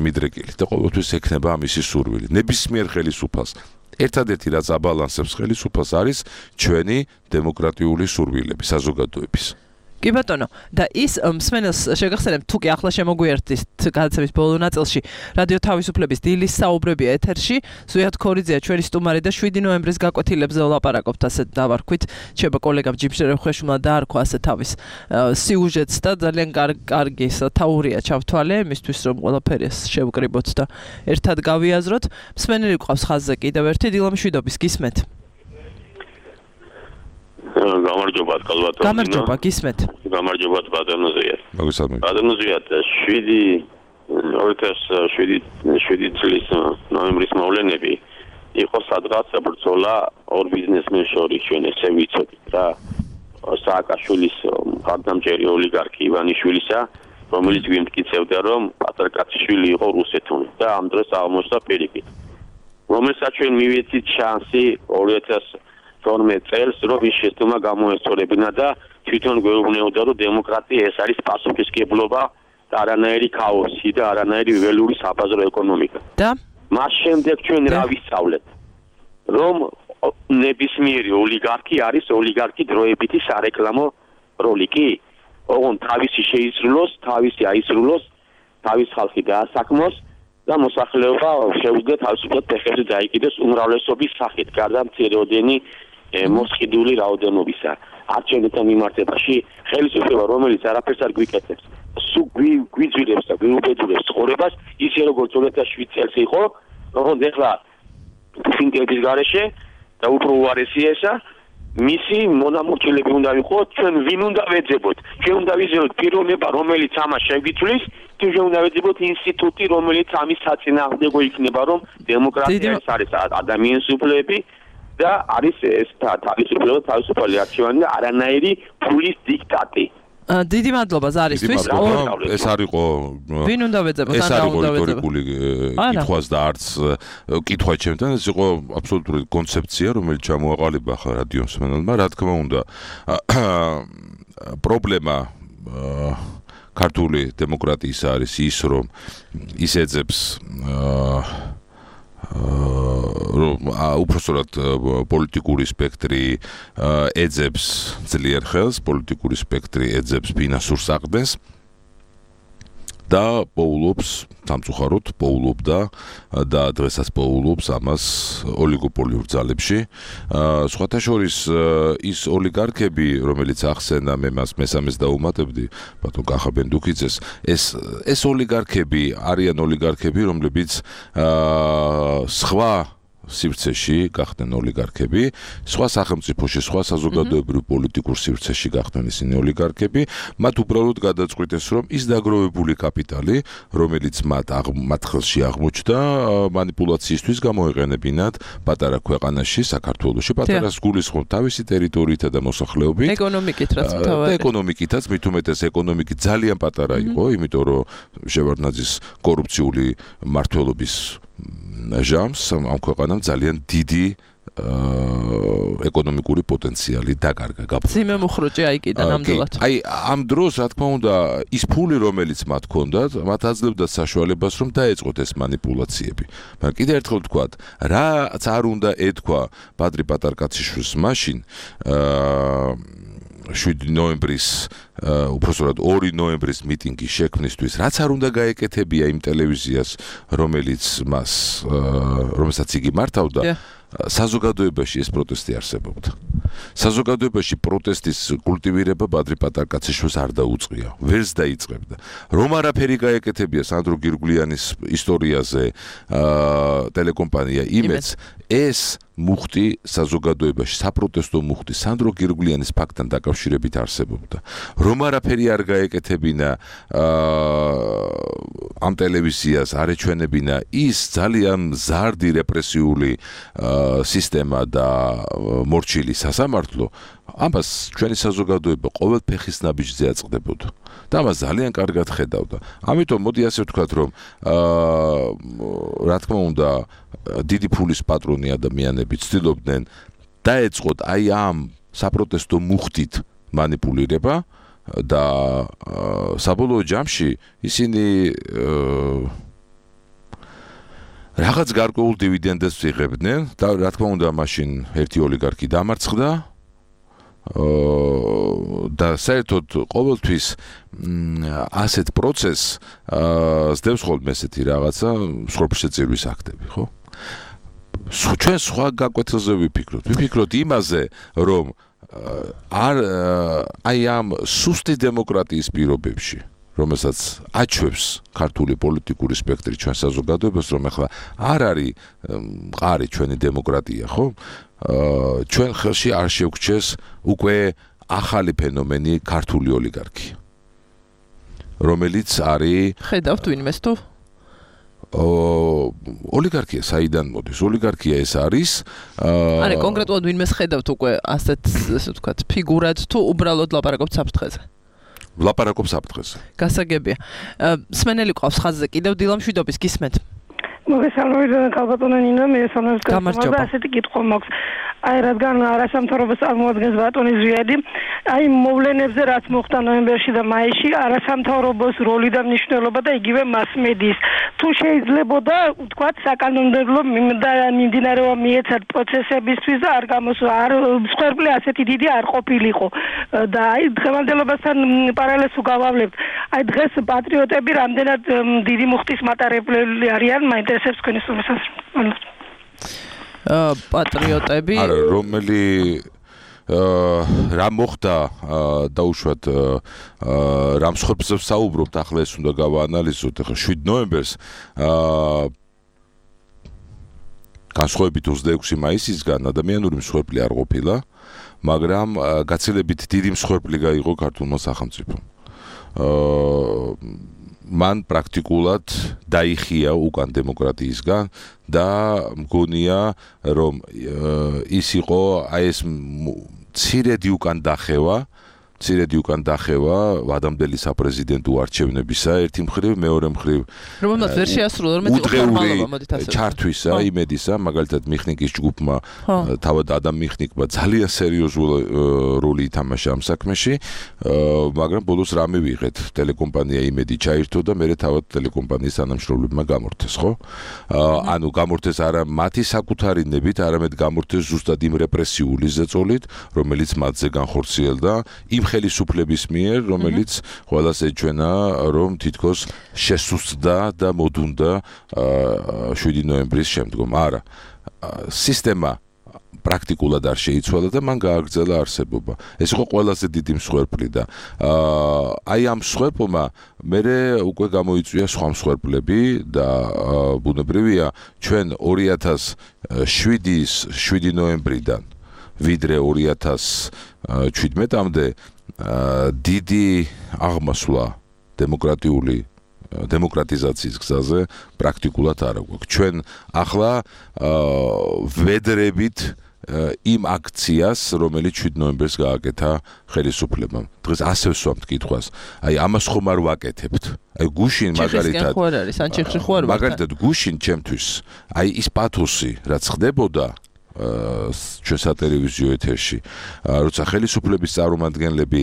Speaker 16: მიდრეკილი და ყოველთვის ექნება ამისი სურვილი. ნებისმიერ ხელისუფალს ერთადერთი რაც აბალანსებს ხელისუფალს არის ჩვენი დემოკრატიული სურვილები საზოგადოების.
Speaker 2: კი ბატონო, და ის მსმენელს შეგახსენებთ თუ კი ახლა შემოგვიერთდით გადაცემის ბოლო ნაწილში რადიო თავისუფლების დილის საუბრები ეთერში, ზვიად ქორიძეა ჩვენი სტუმარი და 7 ნოემბრის გაკვეთილებზე ვლაპარაკობთ ასეთ დავარქვით. შეიძლება კოლეგამ ჯიბშერე ხვეშულა დაარქვა ასე თავის სიუჟეტს და ძალიან კარგი თაურია ჩავთვალე იმისთვის რომ ყველაფერი შევკრიბოთ და ერთად გავიაზროთ. მსმენელი გვყავს ხაზზე კიდევ ერთი დილამშვიდობის გისმენთ.
Speaker 19: გამარჯობა კალბატონო.
Speaker 2: გამარჯობა, გისმენთ.
Speaker 19: გამარჯობა ბატონოზია.
Speaker 16: მოგესალმებით.
Speaker 19: ბატონოზია 7 წლის ნოემბრის მოვლენები იყო სადღაც ბრძოლა ორ ბიზნესმენს შორის, ჩვენ ესე ვიცოდით რა. სააკაშვილის მხარდამჭერი ოლიგარქი ივანიშვილისა, რომელიც გვიმტკიცებდა რომ პატრიკაციშვილი იყო რუსეთში და ამ დროს აღმოჩნდა პირიქით. რომელსაც ჩვენ მივეცით შანსი 2012 წელს რომ ის შეცდომა გამოესწორებინა და თვითონ გვეუბნებოდა რომ დემოკრატია ეს არის პასუხისმგებლობა და არანაირი ქაოსი და არანაირი ველური საბაზრო ეკონომიკა.
Speaker 2: და
Speaker 19: მას შემდეგ ჩვენ რა ვისწავლეთ? რომ ნებისმიერი ოლიგარქი არის ოლიგარქი დროებითი სარეკლამო როლი კი? ოღონდ თავისი შეისრულოს, თავისი აისრულოს, თავის ხალხი დაასაქმოს და მოსახლეობა შეუძლია თავისუფლად ფეხებზე დაიკიდეს უმრავლესობის სახით, გარდა მცირეოდენი მოსყიდული რაოდენობისა. არჩევნებთან მიმართებაში ხელისუფლება, რომელიც არაფერს არ გვიკეთებს, სულ გვიძვირებს და გვიუბედურებს ცხოვრებას, ისე როგორც 2007 წელს იყო, როგორც ეხლა ფინტების გარეშე და უფრო უარესია ესა, მისი მონამორჩილები უნდა ვიყოთ, ჩვენ ვინ უნდა ვეძებოთ? ჩვენ უნდა ვიზიაროთ პიროვნება, რომელიც ამას შეგვიწვლის, თუ ჩვენ უნდა ვეძებოთ ინსტიტუტი, რომელიც ამის საწინააღმდეგო იქნება, რომ დემოკრატია ეს არის ადამიანის უფლებები და არის ეს თავისუფლება, თავისუფალი არჩევანი და არანაირი ფულის დიქტატი.
Speaker 2: დიდი მადლობა ზარისთვის.
Speaker 16: ეს არისო
Speaker 2: ვინ უნდა ვეძებოთ,
Speaker 16: ან რა უნდა ვეძებოთ? კითხვას და არც კითხვა ჩემთან, ეს იყო აბსოლუტური კონცეფცია, რომელიც ჩამოაყალიბა ხა რადიო მსმენელმა, რა თქმა უნდა. პრობლემა ქართული დემოკრატიის არის ის, რომ ის ეძებს უпроსტად პოლიტიკური სპექტრი ეძებს ძლიერ ხელს, პოლიტიკური სპექტრი ეძებს ფინანსურ საყრდენს და პოულობს, სამწუხაროდ პოულობდა და დღესაც პოულობს ამას ოლიგოპოლიურ ძალებში. სხვათა შორის ის ოლიგარქები, რომელიც ახსენა მე მას მესამეს დაუმატებდი, ბატონ კახაბენ დუქიძეს, ეს ოლიგარქები არიან ოლიგარქები, რომლებიც სხვა სივრცეში გახდნენ ოლიგარქები, სხვა სახელმწიფოში, სხვა საზოგადოებრივ პოლიტიკურ სივრცეში გახდნენ ისინი ოლიგარქები, მათ უბრალოდ გადაწყვიტეს, რომ ის დაგროვებული კაპიტალი, რომელიც მათ ხელში აღმოჩნდა, მანიპულაციისთვის გამოეყენებინათ პატარა ქვეყანაში, საქართველოში, პატარას გულისხმობ თავისი ტერიტორიითა და მოსახლეობით, ეკონომიკითაც, მით უმეტეს ეკონომიკით ძალიან პატარა იყო, იმიტომ რომ შევარდნაძის კორუფციული მმართველობის ჟამს ამ ქვეყანამ ძალიან დიდი ეკონომიკური პოტენციალი დაკარგა.
Speaker 2: ძიმე მუხრუჭი აიკიდა ნამდვილად.
Speaker 16: აი ამ დროს რა თქმა უნდა ის ფული რომელიც მათ ჰქონდათ, მათ აძლევდათ საშუალებას რომ დაეწყოთ ეს მანიპულაციები. მაგრამ კიდევ ერთხელ ვთქვათ, რაც არ უნდა ეთქვა პატრი პატარკაციშვილს მაშინ 7 ნოემბრის უпроსტად 2 ნოემბრის მიტინგის შექმნისთვის, რაც არ უნდა გაეკეთებია იმ ტელევიზიას, რომელსაც იგი მართავდა, საზოგადოებაში ეს პროტესტი არსებობდა. საზოგადოებაში პროტესტის კულტივირება პატრი პატარკაციშვილს არ დაუწყია, ვერც დაიწყებდა. რომ არაფერი გაეკეთებია სანდრო გირგვლიანის ისტორიაზე ტელეკომპანია იმედს, ეს მუხტი საზოგადოებაში, საპროტესტო მუხტი სანდრო გირგვლიანის ფაქტთან დაკავშირებით არსებობდა. რომ არაფერი არ გაეკეთებინა ამ ტელევიზიას, არ ეჩვენებინა ის ძალიან მზარდი რეპრესიული სისტემა და მორჩილი სასამართლო, ამას ჩვენი საზოგადოება ყოველ ფეხის ნაბიჯზე აწყდებოდა და ამას ძალიან კარგად ხედავდა. ამიტომ მოდი ასე ვთქვათ, რომ რა თქმა უნდა დიდი ფულის პატრონი ადამიანები ცდილობდნენ დაეწყოთ აი ამ საპროტესტო მუხტით მანიპულირება და საბოლოო ჯამში ისინი რაღაც გარკვეულ დივიდენდებს იღებდნენ და რა თქმა უნდა მაშინ ერთი ოლიგარქი დამარცხდა და საერთოდ ყოველთვის ასეთ პროცესს სდევს ხოლმე ესეთი რაღაცა სრულშეწირვის აქტები, ხო? ჩვენ სხვა გაკვეთილზე ვიფიქროთ იმაზე, რომ აი ამ სუსტი დემოკრატიის პირობებში, რომელსაც აჩვევს ქართული პოლიტიკური სპექტრი ჩვენ საზოგადოებას, რომ ახლა არ არის მყარი ჩვენი დემოკრატია, ხო? ჩვენ ხელში არ შევქჩეს უკვე ახალი ფენომენი ქართული ოლიგარქია, რომელიც არის
Speaker 2: ხედავთ ვინმეს თუ
Speaker 16: ოლიგარქია საიდან მოდის? ოლიგარქია ეს არის
Speaker 2: არა კონკრეტულად ვინმეს ხედავთ უკვე ასეთ ვთქვათ ფიგურად თუ უბრალოდ ლაპარაკობთ საფრთხეზე?
Speaker 16: ლაპარაკობ საფრთხეზე.
Speaker 2: გასაგებია. სმენელი ყავს ხაზზე კიდევ დილამშვიდობის გისმენთ.
Speaker 20: მოგესალმებით ქალბატონო ნინა, მე ესონოს გამარჯობა. ასეთი კითხვა მაქვს. აი რადგან არასამთავრობო წარმოადგენს ბატონი ზვიადი, აი მოვლენებზე რაც მოხდა ნოემბერში და მაისში, არასამთავრობოს როლი და მნიშვნელობა და იგივე მასმედიის. თუ შეიძლებოდა ვთქვათ საკანონმდებლო მიმდინარეობა მიეცათ პროცესებისთვის და არ გამოსვა, არ მსხვერპლი ასეთი დიდი არ ყოფილიყო. და აი დღევანდელობასთან პარალელს უგავავლებთ. აი დღეს პატრიოტები რამდენად დიდი მუხტის მატარებლები არიან, მაინტერესებს თქვენი სურვილები.
Speaker 2: პატრიოტები
Speaker 16: არა რომელი რა მოხდა დაუშვათ რა მსხვერპლებს საუბრობთ ახლა ეს უნდა გავაანალიზოთ ახლა 7 ნოემბერს განსხვავებით 26 მაისისგან ადამიანური მსხვერპლი არ ყოფილა მაგრამ გაცილებით დიდი მსხვერპლი გაიღო ქართულმა სახელმწიფომ მან პრაქტიკულად დაიხია უკან დემოკრატიისგან და მგონია რომ ის იყო აი ეს ცირედი უკან დახევა ვადამდელი საპრეზიდენტო არჩევნებისა ერთი მხრივ მეორე მხრივ
Speaker 2: რომელმაც ვერ შეასრულა რომ ფორმალობა მოდით ასე
Speaker 16: ჩართვისა იმედისა მაგალითად მიხნიკის ჯგუფმა თავად ადამ მიხნიკმა ძალიან სერიოზული როლი ითამაშა ამ საქმეში მაგრამ ბოლოს რა მივიღეთ ტელეკომპანია იმედი ჩაირთო და მე თავად ტელეკომპანიის თანამშრომლებმა გამორთეს ხო ანუ გამორთეს არა მათი საკუთარი ნებით არამედ გამორთეს ზუსტად იმ რეპრესიული ზეწოლით რომელიც მათზე განხორციელდა იმ ხელისუფლების მიერ, რომელიც ყველას ეჩვენა, რომ თითქოს შესუსტდა და მოდუნდა 7 ნოემბრის შემდგომ. არა, სისტემა პრაქტიკულად არ შეიცვალა და მან გააგრძელა არსებობა. ეს იყო ყველაზე დიდი მსხვერპლი და აი ამ მსხვერპლმა მერე უკვე გამოიწვია სხვა მსხვერპლები და ბუნებრივია ჩვენ 2007-ის 7 ნოემბრიდან ვიდრე 2017-მდე დიდი აღმასვლა დემოკრატიზაციის გზაზე პრაქტიკულად არ აქვს. ჩვენ ახლა ვედრებით იმ აქციას, რომელიც 7 ნოემბერს გააკეთა ხელისუფლებამ. დღეს ასე ვსვამთ კითხვას. აი ამას ხომ არ ვაკეთებთ. აი გუშინ მაგალითად გუშინ ჩემთვის აი ის პათოსი რაც ხდებოდა ჩვენ სატელევიზიო ეთერში, როცა ხელისუფლების წარმომადგენლები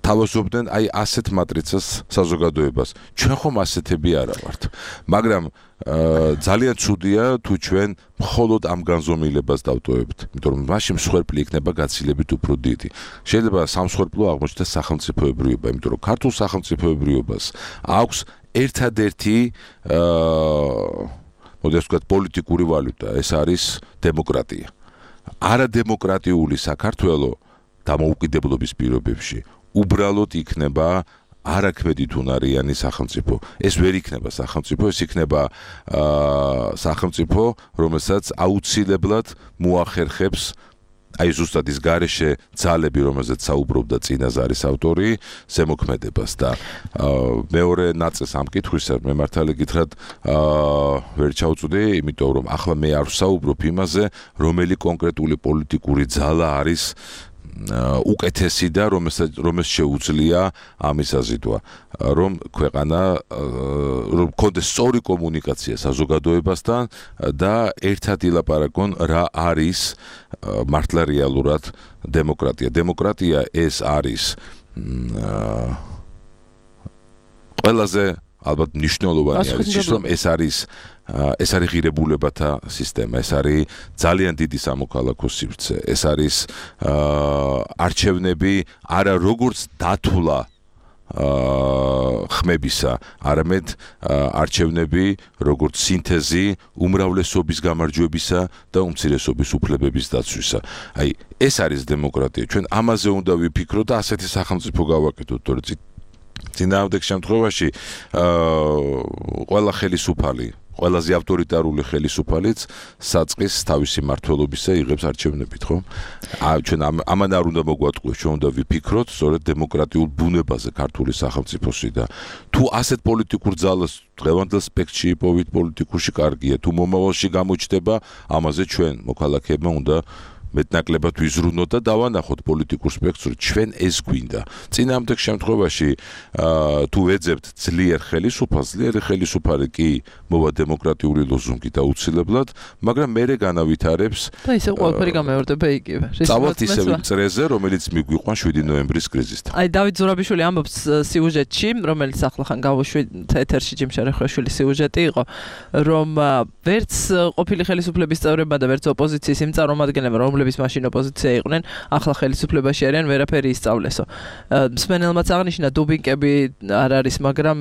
Speaker 16: თავაზობდნენ აი ასეთ მატრიცას საზოგადოებას. ჩვენ ხომ ასეთები არა ვართ. მაგრამ ძალიან ცუდია თუ ჩვენ მხოლოდ ამ განზომილებას დავტოვებთ, იმიტომ რომ მაშინ მსხვერპლი იქნება გაცილებით უფრო დიდი. შეიძლება სამსხვერპლო აღმოჩნდეს სახელმწიფოებრიობა, იმიტომ რომ ქართულ სახელმწიფოებრიობას აქვს ერთადერთი მოდით ვთქვათ პოლიტიკური ვალუტა, ეს არის დემოკრატია. არადემოკრატიული საქართველო დამოუკიდებლობის პირობებში უბრალოდ იქნება არაქმედითუნარიანი სახელმწიფო. ეს ვერ იქნება სახელმწიფო, ეს იქნება სახელმწიფო, რომელსაც აუცილებლად მოახერხებს აი ზუსტად ის გარეშე ძალები, რომელზეც საუბრობდა წინაზარის ავტორი, ზემოქმედებას და მეორე ნაწილს ამ კითხვისა მე მართალი გითხრათ ვერ ჩავწვდი, იმიტომ რომ ახლა მე არ ვსაუბრობ იმაზე, რომელი კონკრეტული პოლიტიკური ძალა არის უკეთესი და რომელს შეუძლია ამის აზიდვა, რომ ქვეყანა რომ კონდეს სწორი კომუნიკაცია საზოგადოებასთან და ერთად ილაპარაკონ რა არის მართლა რეალურად დემოკრატია. დემოკრატია ეს არის ყველაზე ალბათ მნიშვნელოვანი არის ის, რომ ეს არის ღირებულებათა სისტემა, ეს არის ძალიან დიდი სამოქალაქო სივრცე, ეს არის არჩევნები არა როგორც დათვლა ხმებისა, არამედ არჩევნები როგორც სინთეზი უმრავლესობის გამარჯვებისა და უმცირესობის უფლებების დაცვისა. აი ეს არის დემოკრატია. ჩვენ ამაზე უნდა ვიფიქროთ და ასეთი სახელმწიფო გავაკეთოთ, თორე წინააღმდეგ შემთხვევაში ყველა ხელისუფალი, ყველაზე ავტორიტარული ხელისუფალიც საწყის თავისი მმართველობისა იღებს არჩევნებით, ხო? ჩვენ ამან არ უნდა მოგვატყუოს, ჩვენ უნდა ვიფიქროთ სწორედ დემოკრატიულ ბუნებაზე ქართული სახელმწიფოსი და თუ ასეთ პოლიტიკურ ძალას დღევანდელ სპექტრში იპოვით პოლიტიკურში კარგია, თუ მომავალში გამოჩნდება, ამაზე ჩვენ მოქალაქეებმა უნდა მეტნაკლებად ვიზრუნოთ და დავანახოთ პოლიტიკურ სპექტრს, ჩვენ ეს გვინდა. წინააღმდეგ შემთხვევაში თუ ვეძებთ ძლიერ ხელისუფალს, ძლიერი ხელისუფალი კი მოვა დემოკრატიული ლოზუნგით აუცილებლად, მაგრამ მერე განავითარებს
Speaker 2: და ისე ყველაფერი გამეორდება იგივე.
Speaker 16: წავალთ ისევ წრეზე, რომელიც მიგვიყვან 7 ნოემბრის კრიზისთან.
Speaker 2: აი დავით ზურაბიშვილი ამბობს სიუჟეტში, რომელიც ახლახან გავუშვით ეთერში ჯიმშარეხვეშვილი სიუჟეტი იყო, რომ ვერც ყოფილი ხელისუფლების წევრებმა და ვერც ოპოზიციის იმ წარმომადგენლებმა, რომლებიც მაშინ ოპოზიცია იყვნენ, ახლა ხელისუფლებაში არიან, ვერაფერი ისწავლესო. მსმენელმაც აღნიშნა დუბინკები არ არის, მაგრამ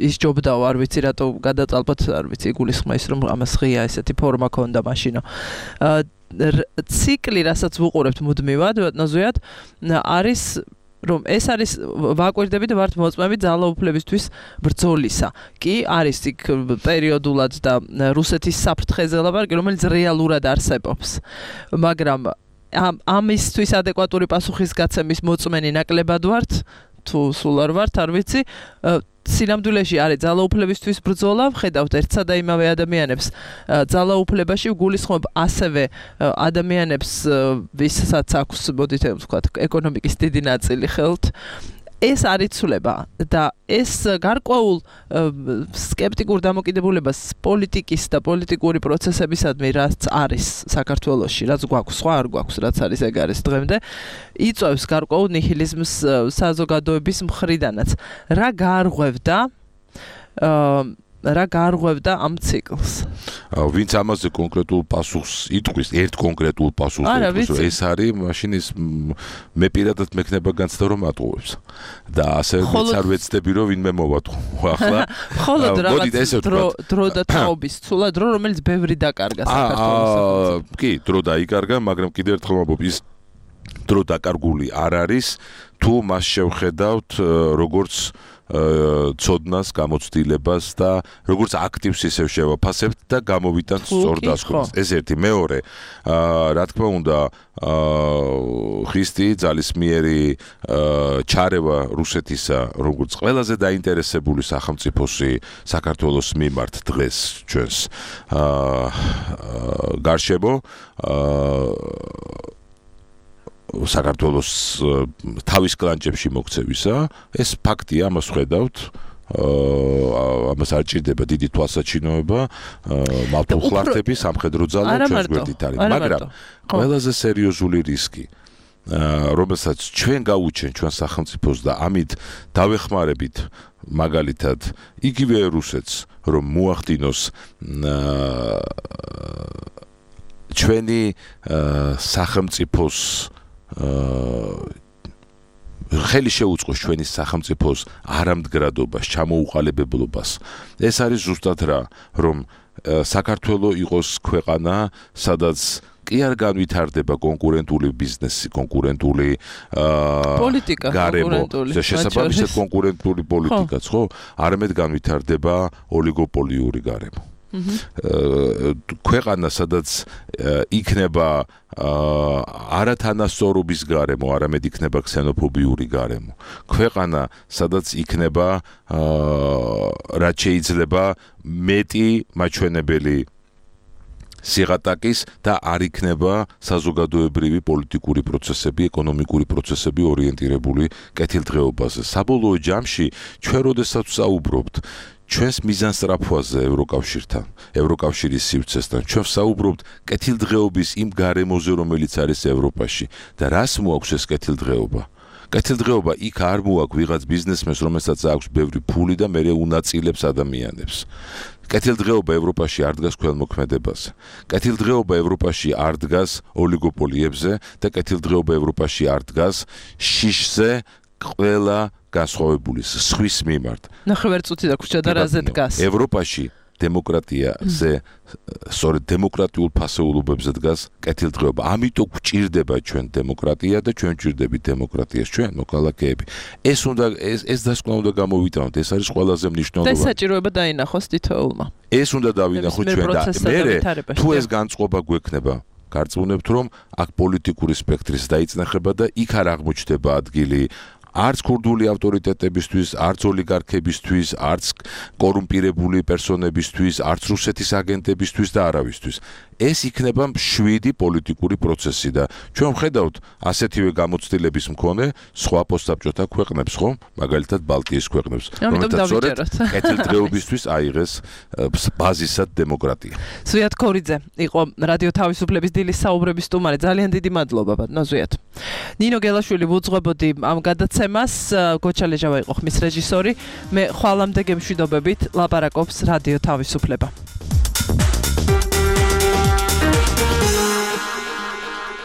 Speaker 2: ის ჯობდაო, არ ვიცი რატო გადაწალბოთ, არ ვიცი, იგულისხმა ის რომ ამას ღია ესეთი ფორმა ქონდა მაშინო. ციკლი, რასაც ვუყურებთ მუდმივად, ნოზუიად, არის რომ ეს არის ვაკვირდებით ვართ მოწმებით ძალაუფლებისთვის ბრძოლისა. კი არის იქ პერიოდულად და რუსეთის საფრთხეზე ლაპარაკი, რომელიც რეალურად არსებობს. მაგრამ ამისთვის ადეკვატური პასუხისგაცემის მოწმენი ნაკლებად ვართ თუ სულ არ ვართ, არ ვიცი. სინამდვილეში არის ძალაუფლებისთვის ბრძოლა, ხედავთ ერთსა და იმავე ადამიანებს ძალაუფლებაში გულისხმობ ასევე ადამიანებს, ვისაც აქვს, მოდით ვთქვათ, ეკონომიკის დიდი ნაწილი ხელთ. ეს არ იცვლება და ეს გარკვეულ სკეპტიკურ დამოკიდებულებას პოლიტიკის და პოლიტიკური პროცესებისადმი, რაც არის საქართველოში, რაც გვაქვს, სხვა არ გვაქვს, რაც არის ეგ არის დღემდე, იწვევს გარკვეულ ნიჰილიზმს საზოგადოების მხრიდანაც. რა გარღვევდა ამ ციკლს?
Speaker 16: ვინც ამაზე კონკრეტულ პასუხს იტყვის, ერთ კონკრეტულ პასუხს იტყვის, ეს არის მაშინ ის მე პირადად მექნება განცდა რომ ატყუებს. და ასე არ ვეცდები რომ ვინმე მოვატყო. ახლა
Speaker 2: მხოლოდ რაღაც დრო და თაობის ცულა დრო, რომელიც ბევრი დაკარგა საქართველოს.
Speaker 16: კი, დრო დაიკარგა, მაგრამ კიდევ ერთხელ ვამბობ, ის დრო დაკარგული არ არის, თუ მას შევხედავთ როგორც ცოდნას, გამოცდილებას და როგორც აქტივს ისევ შევაფასებთ და გამოვიტანთ სწორ დასკვნას. ეს ერთი. მეორე, რა თქმა უნდა, ხისტი ძალისმიერი ჩარევა რუსეთისა, როგორც ყველაზე დაინტერესებული სახელმწიფოსი საქართველოს მიმართ დღეს ჩვენს გარშემო საქართველოს თავის კლანჭებში მოქცევისა, ეს ფაქტია, ამას ხედავთ. ამას არ ჭირდება დიდი თვალსაჩინოება, მავთულხლართები, სამხედრო ძალა ჩვენს გვერდით არის, მაგრამ ყველაზე სერიოზული რისკი, რომელსაც ჩვენ გაუჩენ ჩვენ სახელმწიფოს და ამით დავეხმარებით მაგალითად იგივე რუსეთს, რომ მოახდინოს ჩვენი სახელმწიფოს ხელი შეუწყოს ჩვენი სახელმწიფოს არამდგრადობას, ჩამოუყალიბებლობას. ეს არის ზუსტად რა, რომ საქართველოს იყოს ქვეყანა, სადაც კი არ განვითარდება კონკურენტული ბიზნესი, კონკურენტული
Speaker 2: პოლიტიკა,
Speaker 16: კონკურენტული შესაბამისად კონკურენტული პოლიტიკაც, ხო? არამედ განვითარდება ოლიგოპოლიური გარემო. ქვეყანა, სადაც იქნება არათანასწორობის გარემო, არამედ იქნება ქსენოფობიური გარემო. ქვეყანა, სადაც იქნება რაც შეიძლება მეტი მაჩვენებელი სიღატაკის და არ იქნება საზოგადოებრივი პოლიტიკური პროცესები, ეკონომიკური პროცესები ორიენტირებული კეთილდღეობაზე. საბოლოო ჯამში ჩვენ როდესაც საუბრობთ ჩვენს მიზანსწრაფვაზე ევროკავშირთან, ევროკავშირის სივრცესთან, ჩვენ საუბრობთ კეთილდღეობის იმ გარემოზე, რომელიც არის ევროპაში და რას მოაქვს ეს კეთილდღეობა? კეთილდღეობა იქ არ მოაქვს ვიღაც ბიზნესმენს, რომელსაც აქვს ბევრი ფული და მერე უნაწილებს ადამიანებს. კეთილდღეობა ევროპაში არ დგას ქველმოქმედებაზე. კეთილდღეობა ევროპაში არ დგას ოლიგოპოლიებზე და კეთილდღეობა ევროპაში არ დგას შიშზე ყველა განსხვავებული სხვის მიმართ.
Speaker 2: ნახევარწუთი და ქუჩა და რაზე დგას?
Speaker 16: ევროპაში დემოკრატიაზე, სწორედ დემოკრატიულ ფასეულობებზე დგას კეთილდღეობა. ამიტომ გვჭირდება ჩვენ დემოკრატია და ჩვენ გვჭირდებით დემოკრატიას ჩვენ მოქალაქეები. ეს დასკვნა უნდა გამოვიტანოთ, ეს არის ყველაზე მნიშვნელოვანი.
Speaker 2: და საჭიროება დაინახოს თითოეულმა.
Speaker 16: ეს უნდა დავინახოთ ჩვენ და მერე თუ ეს განწყობა გვექნება, გარწმუნებთ რომ აქ პოლიტიკური სპექტრის დაიწნახება და იქ არ აღმოჩნდება ადგილი არც ქურდული ავტორიტეტებისთვის, არც ოლიგარქებისთვის, არც კორუმპირებული პერსონებისთვის, არც რუსეთის აგენტებისთვის და არავისთვის. ეს იქნება 7 პოლიტიკური პროცესი და ჩვენ ვხედავთ ასეთივე გამოცდილების მქონე სხვა პოსტსაბჭოთა ქვეყნებს, ხო? მაგალითად ბალტიის ქვეყნებს, რომელთაც სწორედ კეთილდღეობისთვის აიღეს ბაზისად დემოკრატია.
Speaker 2: ზვიად ქორიძე იყო რადიო თავისუფლების დილის საუბრების სტუმარი. ძალიან დიდი მადლობა ბატონო ზვიად. ნინო გელაშვილი ვუძღვებოდი ამ გადაცემას, გოჩა ლეჟავა იყო ხმის რეჟისორი. მე ხვალამდე გემშვიდობებით ლაპარაკობს რადიო თავისუფლება.